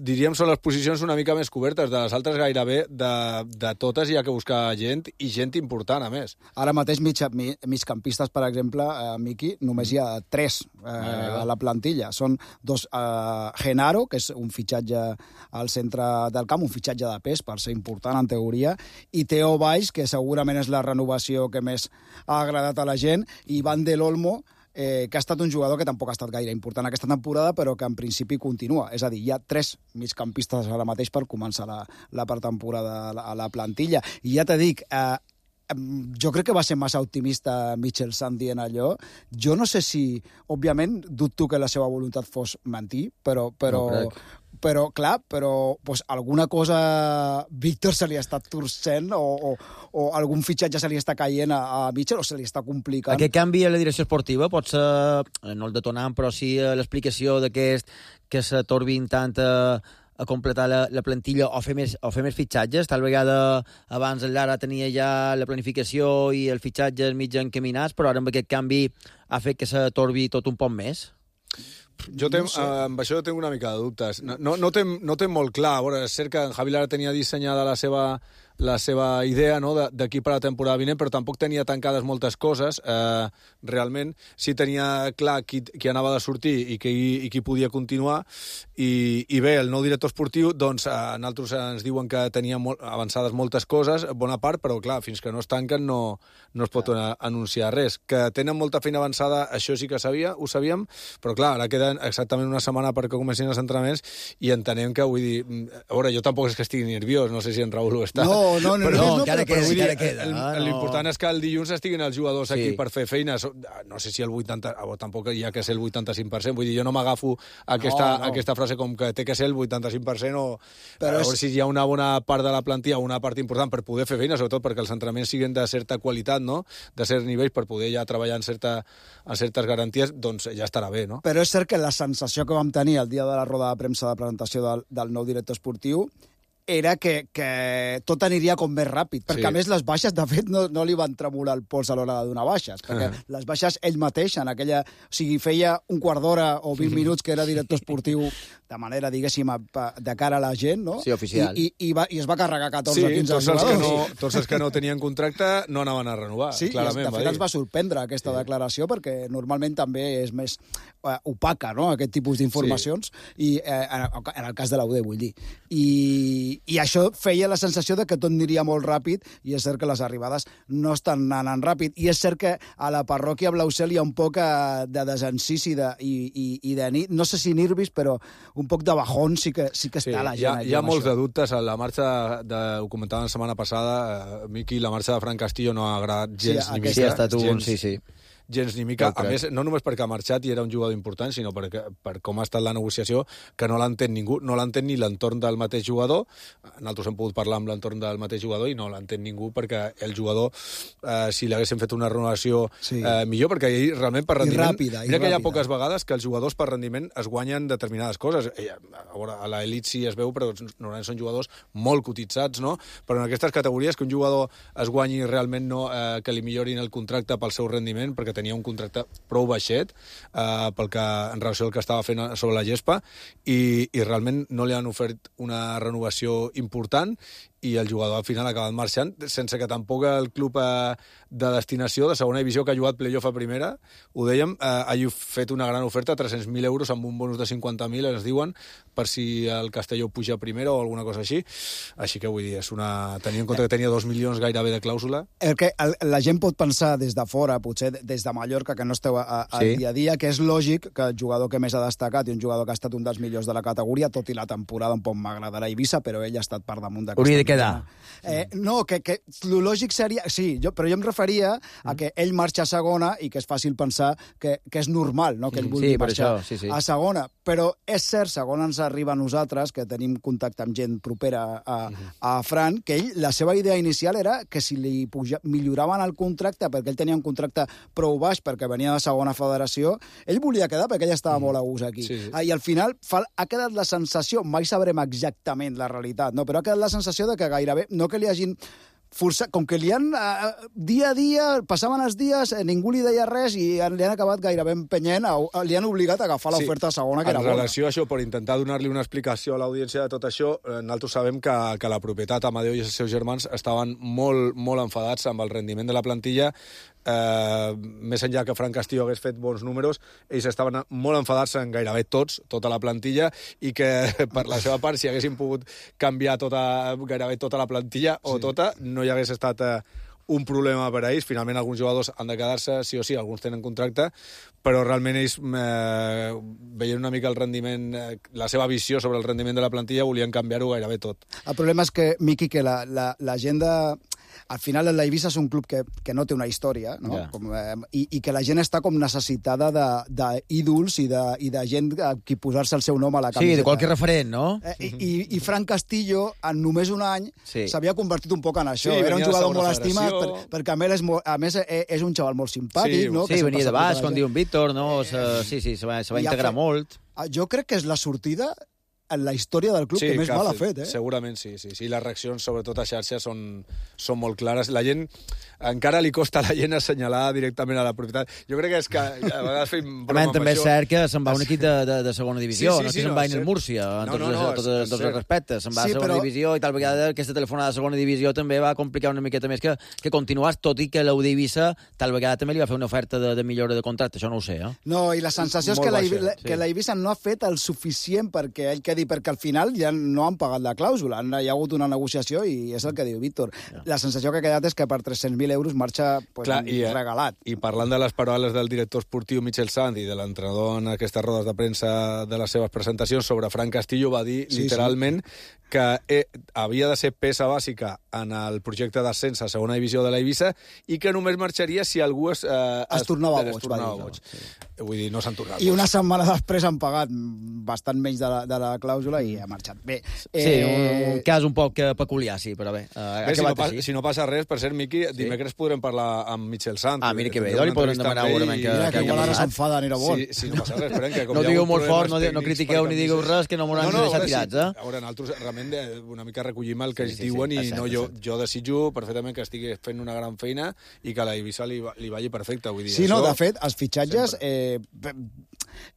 Diríem, són les posicions una mica més cobertes, de les altres gairebé de totes hi ha que buscar gent, i gent important, a més. Ara mateix, migcampistes, per exemple, Miqui, només hi ha 3 a la plantilla. Són 2, Genaro, que és un fitxatge al centre del camp, un fitxatge de pes, per ser important, en teoria, i Teo Valls, que segurament és la renovació que més ha agradat a la gent, i Van del Olmo, que ha estat un jugador que tampoc ha estat gaire important aquesta temporada, però que en principi continua. És a dir, hi ha 3 migcampistes ara mateix per començar la pretemporada a la plantilla. I ja t'he dic, jo crec que va ser massa optimista Mitchell Sant dient allò. Jo no sé si, òbviament, dubto que la seva voluntat fos mentir, però pues, alguna cosa Víctor se li està torcent o algun fitxatge se li està caient a Mitchell o se li està complicant. Aquest canvi a la direcció esportiva pot ser, no el detonant, però sí l'explicació d'aquest que s'atorbin tant a completar la plantilla o fer més fitxatges. Tal vegada abans el Lara tenia ja la planificació i els fitxatges mig encaminats, però ara amb aquest canvi ha fet que s'atorbi tot un poc més. Jo amb això tinc una mica de dubtes. No té molt clar. A veure, és cert que en Javi Lara tenia dissenyada la seva idea, no?, d'aquí per la temporada vinent, però tampoc tenia tancades moltes coses. Realment, sí tenia clar qui anava de sortir i qui podia continuar. I bé, el nou director esportiu, doncs, nosaltres ens diuen que tenia avançades moltes coses, bona part, però clar, fins que no es tanquen no es pot anunciar res. Que tenen molta feina avançada, això sí que ho sabíem, però clar, ara queda exactament una setmana perquè comencin els entrenaments i entenem que, vull dir, a veure, jo tampoc és que estigui nerviós, no sé si en Raúl ho està. No, encara queda. L'important és que el dilluns estiguin els jugadors aquí per fer feines. No sé si el 80%, tampoc hi ha que ser el 85%, vull dir, jo no m'agafo aquesta frase com que té que ser el 85% o a veure si hi ha una bona part de la plantilla, una part important per poder fer feina, sobretot perquè els entrenaments siguin de certa qualitat, no?, de certs nivells, per poder ja treballar en certes garanties, doncs ja estarà bé, no? Però és cert que la sensació que vam tenir el dia de la roda de premsa de presentació del nou director esportiu era que tot aniria com més ràpid, perquè a més les baixes, de fet, no li van tremolar el pols a l'hora de donar baixes, perquè les baixes ell mateix, en aquella... O sigui, feia un quart d'hora o 20 minuts que era director esportiu de manera, diguéssim, de cara a la gent, no? Sí, oficial. I es va carregar 14 o 15 jugadors. Tots els que no tenien contracte no anaven a renovar, clarament. Sí, de fet ens va sorprendre aquesta declaració, perquè normalment també és més opaca, no?, aquest tipus d'informacions, i en el cas de l'UD, vull dir. I això feia la sensació de que tot aniria molt ràpid, i és cert que les arribades no estan anant ràpid, i és cert que a la parròquia Blausel hi ha un poc de desencís i de no sé si nervis, però un poc de bajón sí que està la gent. Hi ha molts de dubtes. La marxa, ho comentàvem la setmana passada, Miqui, la marxa de Fran Castillo no ha agradat gens ni mica. Sí, ha estat un... Sí. Gens ni mica. A més, no només perquè ha marxat i era un jugador important, sinó per com ha estat la negociació, que no l'entén ningú. No l'entén ni l'entorn del mateix jugador. Nosaltres hem pogut parlar amb l'entorn del mateix jugador i no l'entén ningú, perquè el jugador, si l'haguessin fet una renovació millor, perquè ell realment per rendiment... Mira que hi ha poques vegades que els jugadors per rendiment es guanyen determinades coses. A l'elit sí es veu, però normalment són jugadors molt cotitzats, no? Però en aquestes categories que un jugador es guanyi realment que li millorin el contracte pel seu rendiment, perquè tenia un contracte prou baixet en relació al que estava fent sobre la gespa, i realment no li han ofert una renovació important, i el jugador al final ha acabat marxant, sense que tampoc el club de destinació de segona divisió, que ha jugat playoff a primera, ho dèiem, hagi fet una gran oferta, 300.000 euros amb un bonus de 50.000, ens diuen, per si el Castelló puja a primera o alguna cosa així. Així que vull dir, tenint en compte que tenia 2 milions gairebé de clàusula. El que la gent pot pensar des de fora, potser des de Mallorca, que no esteu al dia a dia, que és lògic que el jugador que més ha destacat i un jugador que ha estat un dels millors de la categoria, tot i la temporada un poc m'agradarà Eivissa, però ell ha estat per damunt d'aquesta. No, que lo lògic seria... Sí, però jo em referia a que ell marxa a segona i que és fàcil pensar que és normal, no?, que ell vulgui marxar a segona. Però és cert, segons ens arriba a nosaltres, que tenim contacte amb gent propera a Fran, que ell, la seva idea inicial era que si li milloraven el contracte, perquè ell tenia un contracte prou baix, perquè venia de segona federació, ell volia quedar perquè ell estava molt a gust aquí. I al final ha quedat la sensació, mai sabrem exactament la realitat, no? Però ha quedat la sensació de que gairebé, no que li hagin forçat, com que li han, dia a dia, passaven els dies, ningú li deia res i li han acabat gairebé empenyent, li han obligat a agafar l'oferta segona, que era bona. En relació a això, per intentar donar-li una explicació a l'audiència de tot això, nosaltres sabem que la propietat, Amadeu i els seus germans, estaven molt, molt enfadats amb el rendiment de la plantilla. Més enllà que Fran Castillo hagués fet bons números, ells estaven molt enfadats en gairebé tota la plantilla, i que per la seva part, si haguessin pogut canviar gairebé tota la plantilla o tota, no hi hagués estat un problema per a ells. Finalment alguns jugadors han de quedar-se, sí o sí, alguns tenen contracte, però realment ells veient una mica el rendiment, la seva visió sobre el rendiment de la plantilla, volien canviar-ho gairebé tot. El problema és que, Miqui, que la gent de... Al final, l'Eivissa és un club que no té una història, no? I que la gent està com necessitada d'ídols i de gent a qui posar-se el seu nom a la camiseta. Sí, de qualque referent, no? I Fran Castillo, en només un any, s'havia convertit un poc en això. Era un jugador molt estimat, perquè a més és un xaval molt simpàtic. Sí, venia de baix, com diu en Víctor, no? Sí, se va integrar molt. Jo crec que és la sortida en la història del club que més mal ha fet. Segurament sí. Les reaccions, sobretot a xarxes, són molt clares. La gent, encara li costa a la gent assenyalar directament a la propietat. Jo crec que és que a vegades fem broma amb això. També és cert que se'n va un equip de segona divisió, no és que se'n va el Múrcia, en tots els respectes. Se'n va a segona divisió i tal vegada aquesta telefonada de segona divisió també va complicar una miqueta més que continuàs, tot i que l'UD Eivissa tal vegada també li va fer una oferta de millora de contracte, això no ho sé. No, i la sensació és que l'Eivissa no ha fet el suficient perquè ell quedi, perquè al final ja no han pagat la clàusula, hi ha hagut una negociació i és el que diu Víctor. La sensació que ha quedat és que per 300.000 euros marxa regalat. I parlant de les paraules del director esportiu Michel Sant i de l'entrenador en aquestes rodes de premsa de les seves presentacions sobre Fran Castillo, va dir literalment que havia de ser peça bàsica en el projecte d'ascens a segona divisió de l'Eivissa i que només marxaria si algú es tornava boig. vull dir, no s'han tornat. I una setmana després han pagat bastant menys de la clàusula i ha marxat. Bé, sí, un cas un poc peculiar, sí, però bé. Si no passa res, per cert, Miqui, dimecres podrem parlar amb Michel Sant. Mira que bé, li podrem demanar segurament que igual ara s'enfada, anirà bon. Sí, no passa res, esperem que... No digueu molt fort, no critiqueu ni digueu res, que no m'hauran de deixar tirats, eh? A veure, nosaltres realment una mica recollim el que ells diuen i jo desitjo perfectament que estigui fent una gran feina i que a la Eivissa li vagi perfecte, vull dir. Sí, no, de fet, els fitxatges...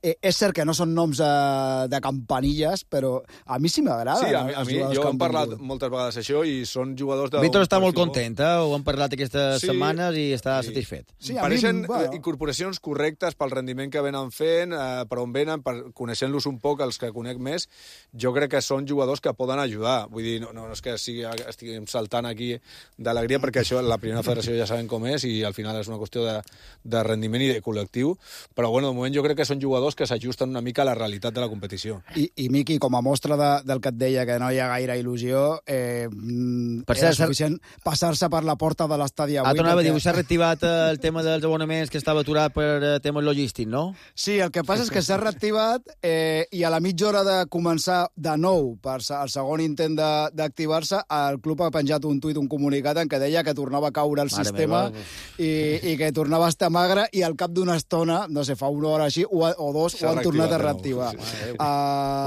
és cert que no són noms de campanilles, però a mi sí m'agrada. Sí, jo hem parlat moltes vegades això i són jugadors de... Víctor està molt content, ho hem parlat aquestes setmanes i està satisfet. Pareixen incorporacions correctes pel rendiment que venen fent, per on venen, coneixent-los un poc, els que conec més, jo crec que són jugadors que poden ajudar. Vull dir, no és que estiguem saltant aquí d'alegria, perquè això, la primera federació ja sabem com és i al final és una qüestió de rendiment i de col·lectiu, però bueno, de moment jo crec que són jugadors que s'ajusten una mica a la realitat de la competició. I Miqui, com a mostra del que et deia, que no hi ha gaire il·lusió, era suficient passar-se per la porta de l'estadi avui. T'anava a dir, s'ha reactivat el tema dels abonaments que estava aturat per temes logístics, no? Sí, el que passa és que s'ha reactivat i a la mitja hora de començar de nou per el segon intent d'activar-se, el club ha penjat un tuit, un comunicat en què deia que tornava a caure el sistema i que tornava a estar magre i al cap d'una estona, no sé, fa una hora així, o dos, ho han tornat a reactivar.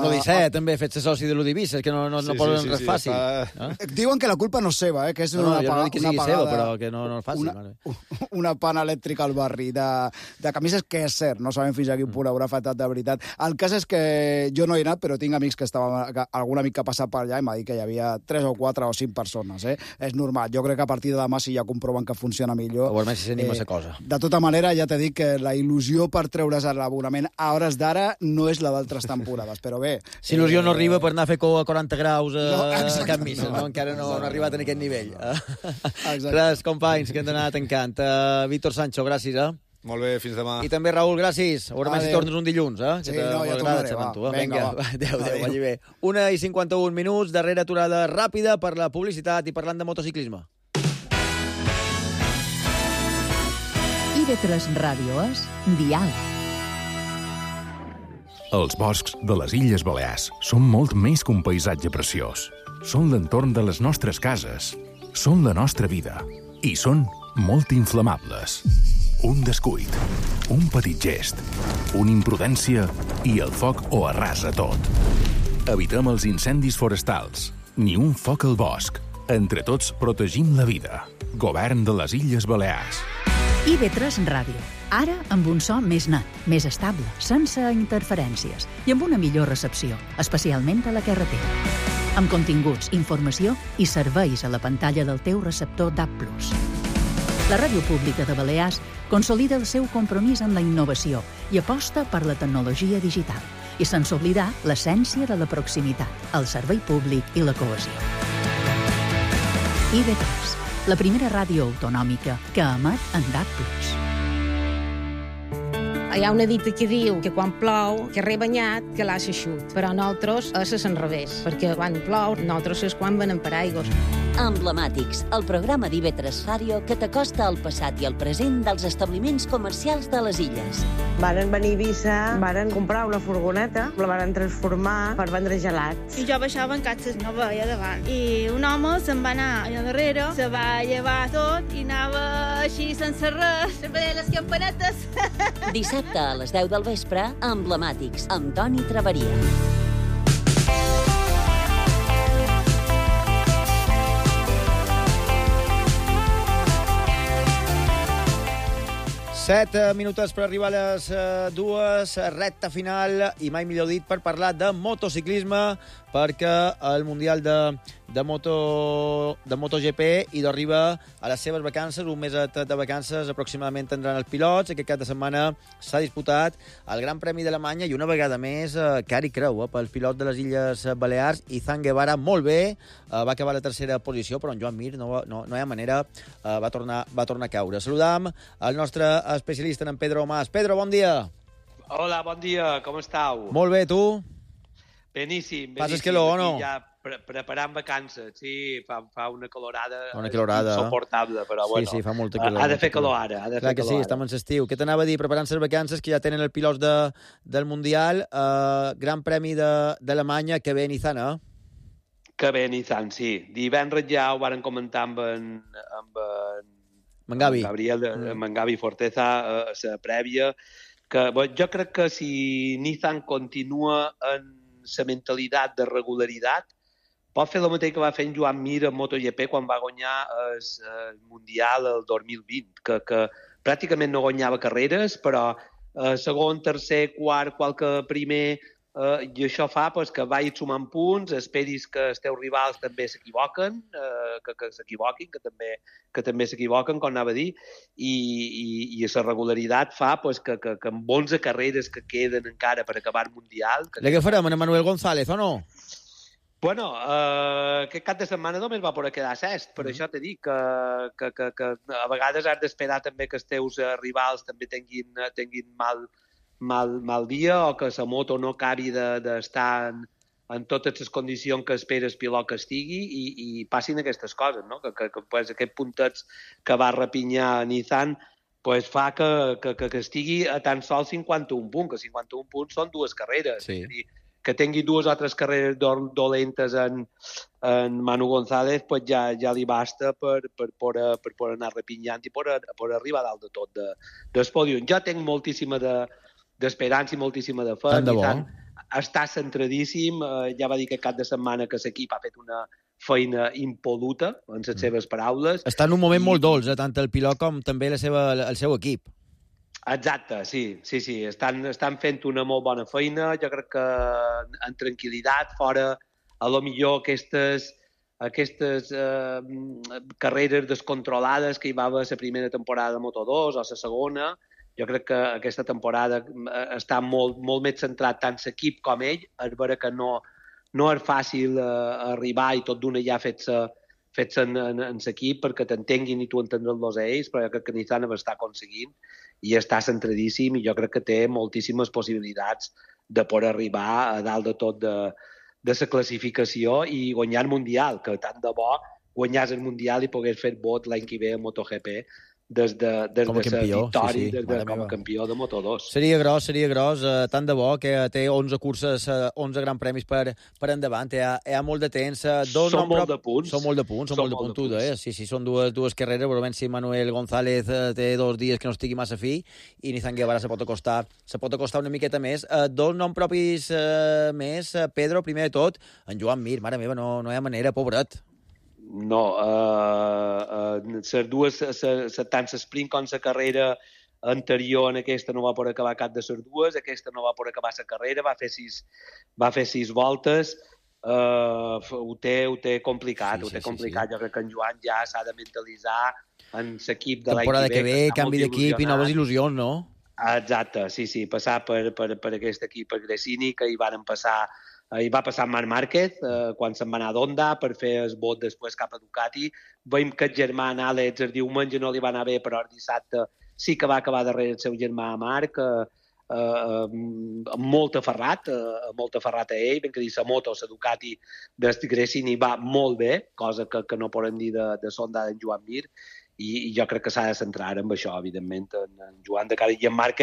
L'Odissea també ha fet-se soci de l'Odivissa, que no poden res fàcil. Diuen que la culpa no és seva, que és una pagada... No dic que sigui seva, però que no és fàcil. Una pana elèctrica al barri de camises, que és cert, no sabem fins a quin punt haurà afectat de veritat. El cas és que jo no he anat, però tinc amics algun amic que ha passat per allà i m'ha dit que hi havia 3 o 4 o 5 persones. És normal. Jo crec que a partir de demà, si ja comproven que funciona millor... O almenys si s'anima a cosa. De tota manera, ja t'he dit que la il·lusió per treure's l'abonament a hores d'ara no és la d'altres temporades, però bé... Si il·lusió no arriba per anar a fer a 40 graus a Can Missa, encara no ha arribat a aquest nivell. Res, companys, que hem d'anar tancant. Víctor Sancho, gràcies, Molt bé, fins demà. I també, Raül, gràcies. Veurem si tornes un dilluns, Sí, no, ja tornaré, va. Vinga, adéu, vagi bé. 1:51 minuts, darrera aturada ràpida per la publicitat i parlant de motociclisme. IB3 Ràdio és Dial. Els boscs de les Illes Balears són molt més que un paisatge preciós. Són l'entorn de les nostres cases. Són la nostra vida. I són molt inflamables. Un descuit, un petit gest, una imprudència i el foc ho arrasa tot. Evitem els incendis forestals. Ni un foc al bosc. Entre tots protegim la vida. Govern de les Illes Balears. IB3 Ràdio. Ara amb un so més net, més estable, sense interferències i amb una millor recepció, especialment a la carretera. Amb continguts, informació i serveis a la pantalla del teu receptor DAB+. La Ràdio Pública de Balears consolida el seu compromís amb la innovació i aposta per la tecnologia digital i sense oblidar l'essència de la proximitat, el servei públic i la cohesió. IB3, la primera ràdio autonòmica que emet en DAB+. Hi ha una dita que diu que quan plou, que rebanyat, que l'ha eixut. Però nosaltres és l'enrevés, perquè quan plou, nosaltres és quan venem per aigües. Emblemàtics, el programa d'IB3 Ràdio que t'acosta al passat i al present dels establiments comercials de les illes. Varen venir a Eivissa, varen comprar una furgoneta, la varen transformar per vendre gelats. I jo baixava en catxes, no veia davant. I un home se'n va anar allà darrere, se va llevar tot i anava així sense res, sempre deia les campanetes. Dissabte a les 10 del vespre, Emblemàtics, amb Toni Traveria. Set minutets per arribar a les dues, recta final, i mai millor dit per parlar de motociclisme, perquè el Mundial de MotoGP hi arriba a les seves vacances, un mes de vacances aproximadament tindran els pilots. Aquest cap de setmana s'ha disputat el Gran Premi d'Alemanya i una vegada més cari creu pel pilot de les Illes Balears, Izan Guevara, molt bé, va acabar a la tercera posició, però en Joan Mir no hi ha manera, va tornar a caure. Saludam el nostre especialista, en Pedro Mas. Pedro, bon dia. Hola, bon dia, com estàu? Molt bé, tu? Beníssim. Passes que lo o no? Ja preparant vacances, sí, fa una calorada insuportable, però bueno, sí, fa molta calor. Ha de fer calor ara, Clar que sí, estem en l'estiu. Què t'anava a dir? Preparant les vacances, que ja tenen els pilots del Mundial, Gran Premi d'Alemanya, que ve a Nissan, Que ve a Nissan, sí. Divendres ja ho varen comentar amb en Gabriel, amb en Gavi Forteza, a la prèvia, que jo crec que si Nissan continua en la mentalitat de regularitat, pot fer el mateix que va fer en Joan Mir en MotoGP quan va guanyar el Mundial el 2020, que pràcticament no guanyava carreres, però segon, tercer, quart, qualque primer, i això fa que vagis sumant punts, esperis que els teus rivals també s'equivoquen, que s'equivoquin, que també s'equivoquen, com anava a dir, i la regularitat fa que amb 11 carreres que queden encara per acabar el Mundial... Què farem, en Manuel González, o no? Bueno, aquest cap de setmana només va poder quedar sest, per això t'he dit que a vegades has d'esperar també que els teus rivals també tinguin mal dia o que la moto no acabi d'estar en totes les condicions que espera el pilot que estigui i passin aquestes coses, no? Que aquest puntet que va repinyar Nissan fa que estigui a tan sols 51 punts, que 51 punts són 2 carreres. Sí. És a dir, que tingui 2 o 3 carreres dolentes en Manu González, ja li basta per poder anar repinyant i per arribar dalt de tot del pòdium. Jo tinc moltíssima d'esperança i moltíssima de fe. Nissan està centradíssim. Ja va dir que cap de setmana que l'equip ha fet una feina impoluta, en les seves paraules. Està en un moment molt dolç, tant el pilot com també el seu equip. Exacte, sí. Estan fent una molt bona feina. Jo crec que en tranquil·litat, fora, a lo millor aquestes carreres descontrolades que hi va haver la primera temporada de Moto2 o la segona, jo crec que aquesta temporada està molt més centrat tant l'equip com ell. És vera que no és fàcil arribar i tot d'una ja fets en l'equip perquè t'entenguin i tu entendre'ls a ells, però jo crec que Nissan ho està aconseguint i està centradíssim i jo crec que té moltíssimes possibilitats de poder arribar a dalt de tot de la classificació i guanyar el Mundial, que tant de bo guanyàs el Mundial i pogués fer vot l'any que ve a MotoGP des de la victòria com a campió de Moto2. Seria gros, tant de bo, que té 11 curses, 11 grans premis per endavant, hi ha molt de temps. Són molt de punts. Són molt de punts, tu deies. Sí, són dues carreres, veurem si Manuel González té 2 dies que no estigui massa fi i Nissan Guevara se pot acostar una miqueta més. 2 noms propis més. Pedro, primer de tot, en Joan Mir, mare meva, no hi ha manera, pobret. No, tant l'esprint com la carrera anterior en aquesta no va poder acabar cap de les dues, aquesta no va poder acabar la carrera, va fer 6 voltes, ho té complicat, Jo crec que en Joan ja s'ha de mentalitzar en l'equip de l'any que ve. Temporada que ve, canvi d'equip i noves il·lusions, no? Exacte, sí, passar per aquest equip, per Gresini, que hi va passar Marc Márquez quan se'n va anar d'Honda per fer el vot després cap a Ducati. Veiem que el germà Àlex el diumenge no li va anar bé, però el dissabte sí que va acabar darrere el seu germà Marc, molt aferrat a ell. Ben que dir, la moto, la Ducati de Gresini va molt bé, cosa que no podem dir de Honda d'en Joan Mir, i jo crec que s'ha de centrar en això, evidentment, en Joan de cara. I en Marc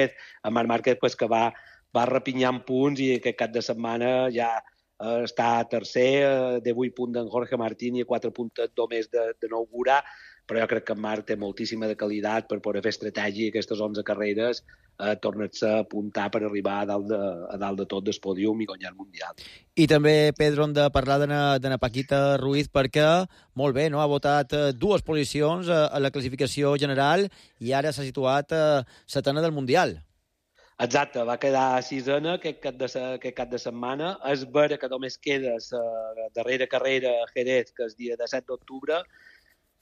Márquez, que va repinyant punts i aquest cap de setmana ja està tercer, de 8 punts d'en Jorge Martín i 4 punts només de Nougura, però jo crec que en Marc té moltíssima de qualitat per poder fer estratègia aquestes 11 carreres, tornar-se a apuntar per arribar a dalt de tot del pòdium i guanyar el Mundial. I també, Pedro, hem de parlar de Paquita Ruiz perquè, molt bé, no? Ha votat 2 posicions a la classificació general i ara s'ha situat setena del Mundial. Exacte, va quedar 6ena aquest cap de setmana. És vera que només queda la darrera carrera a Jerez, que és dia 17 d'octubre,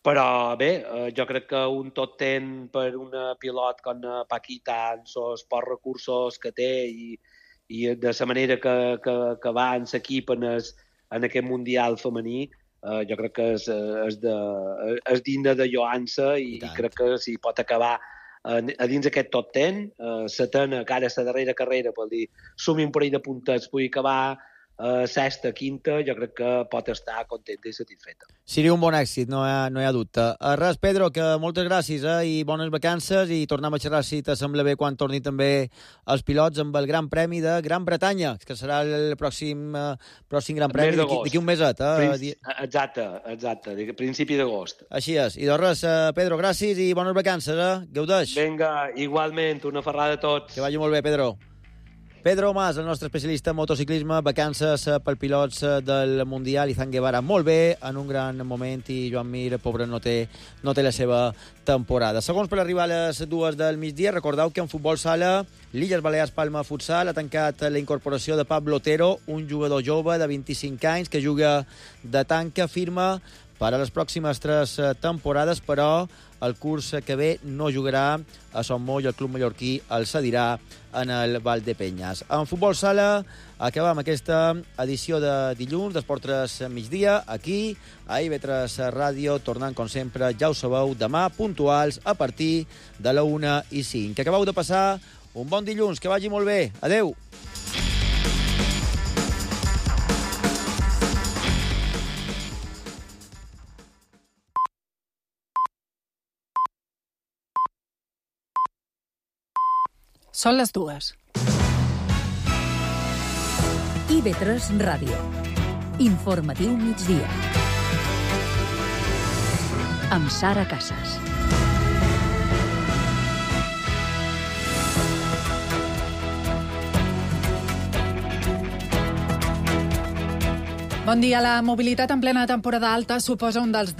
però bé, jo crec que un tot ten per una pilot com Paquita amb els pocs recursos que té i de la manera que va en l'equip en aquest Mundial femení, jo crec que és digne de lloança i crec que si pot acabar a dins aquest top 10, setena, que ara la darrera carrera, per dir, sumi un parell de puntets, pugui acabar sexta, quinta, jo crec que pot estar contenta i satisfeta. Seria un bon èxit, no hi ha dubte. Res, Pedro, que moltes gràcies i bones vacances i tornem a xerrar, si t'assembla bé, quan torni també els pilots amb el Gran Premi de Gran Bretanya, que serà el pròxim Gran Premi d'aquí un meset. Exacte, principi d'agost. Així és. I doncs res, Pedro, gràcies i bones vacances, gaudeix. Vinga, igualment, una ferrada a tots. Que vagi molt bé, Pedro. Pedro Mas, el nostre especialista en motociclisme, vacances per pilots del Mundial, Izan Guevara molt bé, en un gran moment, i Joan Mir, pobre, no té la seva temporada. Segons per arribar a les 2 del migdia, recordeu que en futbol sala, l'Illes Balears Palma Futsal ha tancat la incorporació de Pablo Otero, un jugador jove de 25 anys que juga de tanca, firma per a les pròximes 3 temporades, però el curs que ve no jugarà a Son Moll, el club mallorquí el cedirà en el Valdepeñas. En futbol sala acabam aquesta edició de dilluns d'Esport 3 migdia, aquí a IB3 Ràdio, tornant com sempre, ja ho sabeu, demà puntuals a partir de la 1:05. Que acabeu de passar un bon dilluns, que vagi molt bé. Adeu! Són les 2. IB3 Ràdio. Informatiu migdia. Amb Sara Casas. Bon dia. La mobilitat en plena temporada alta suposa un dels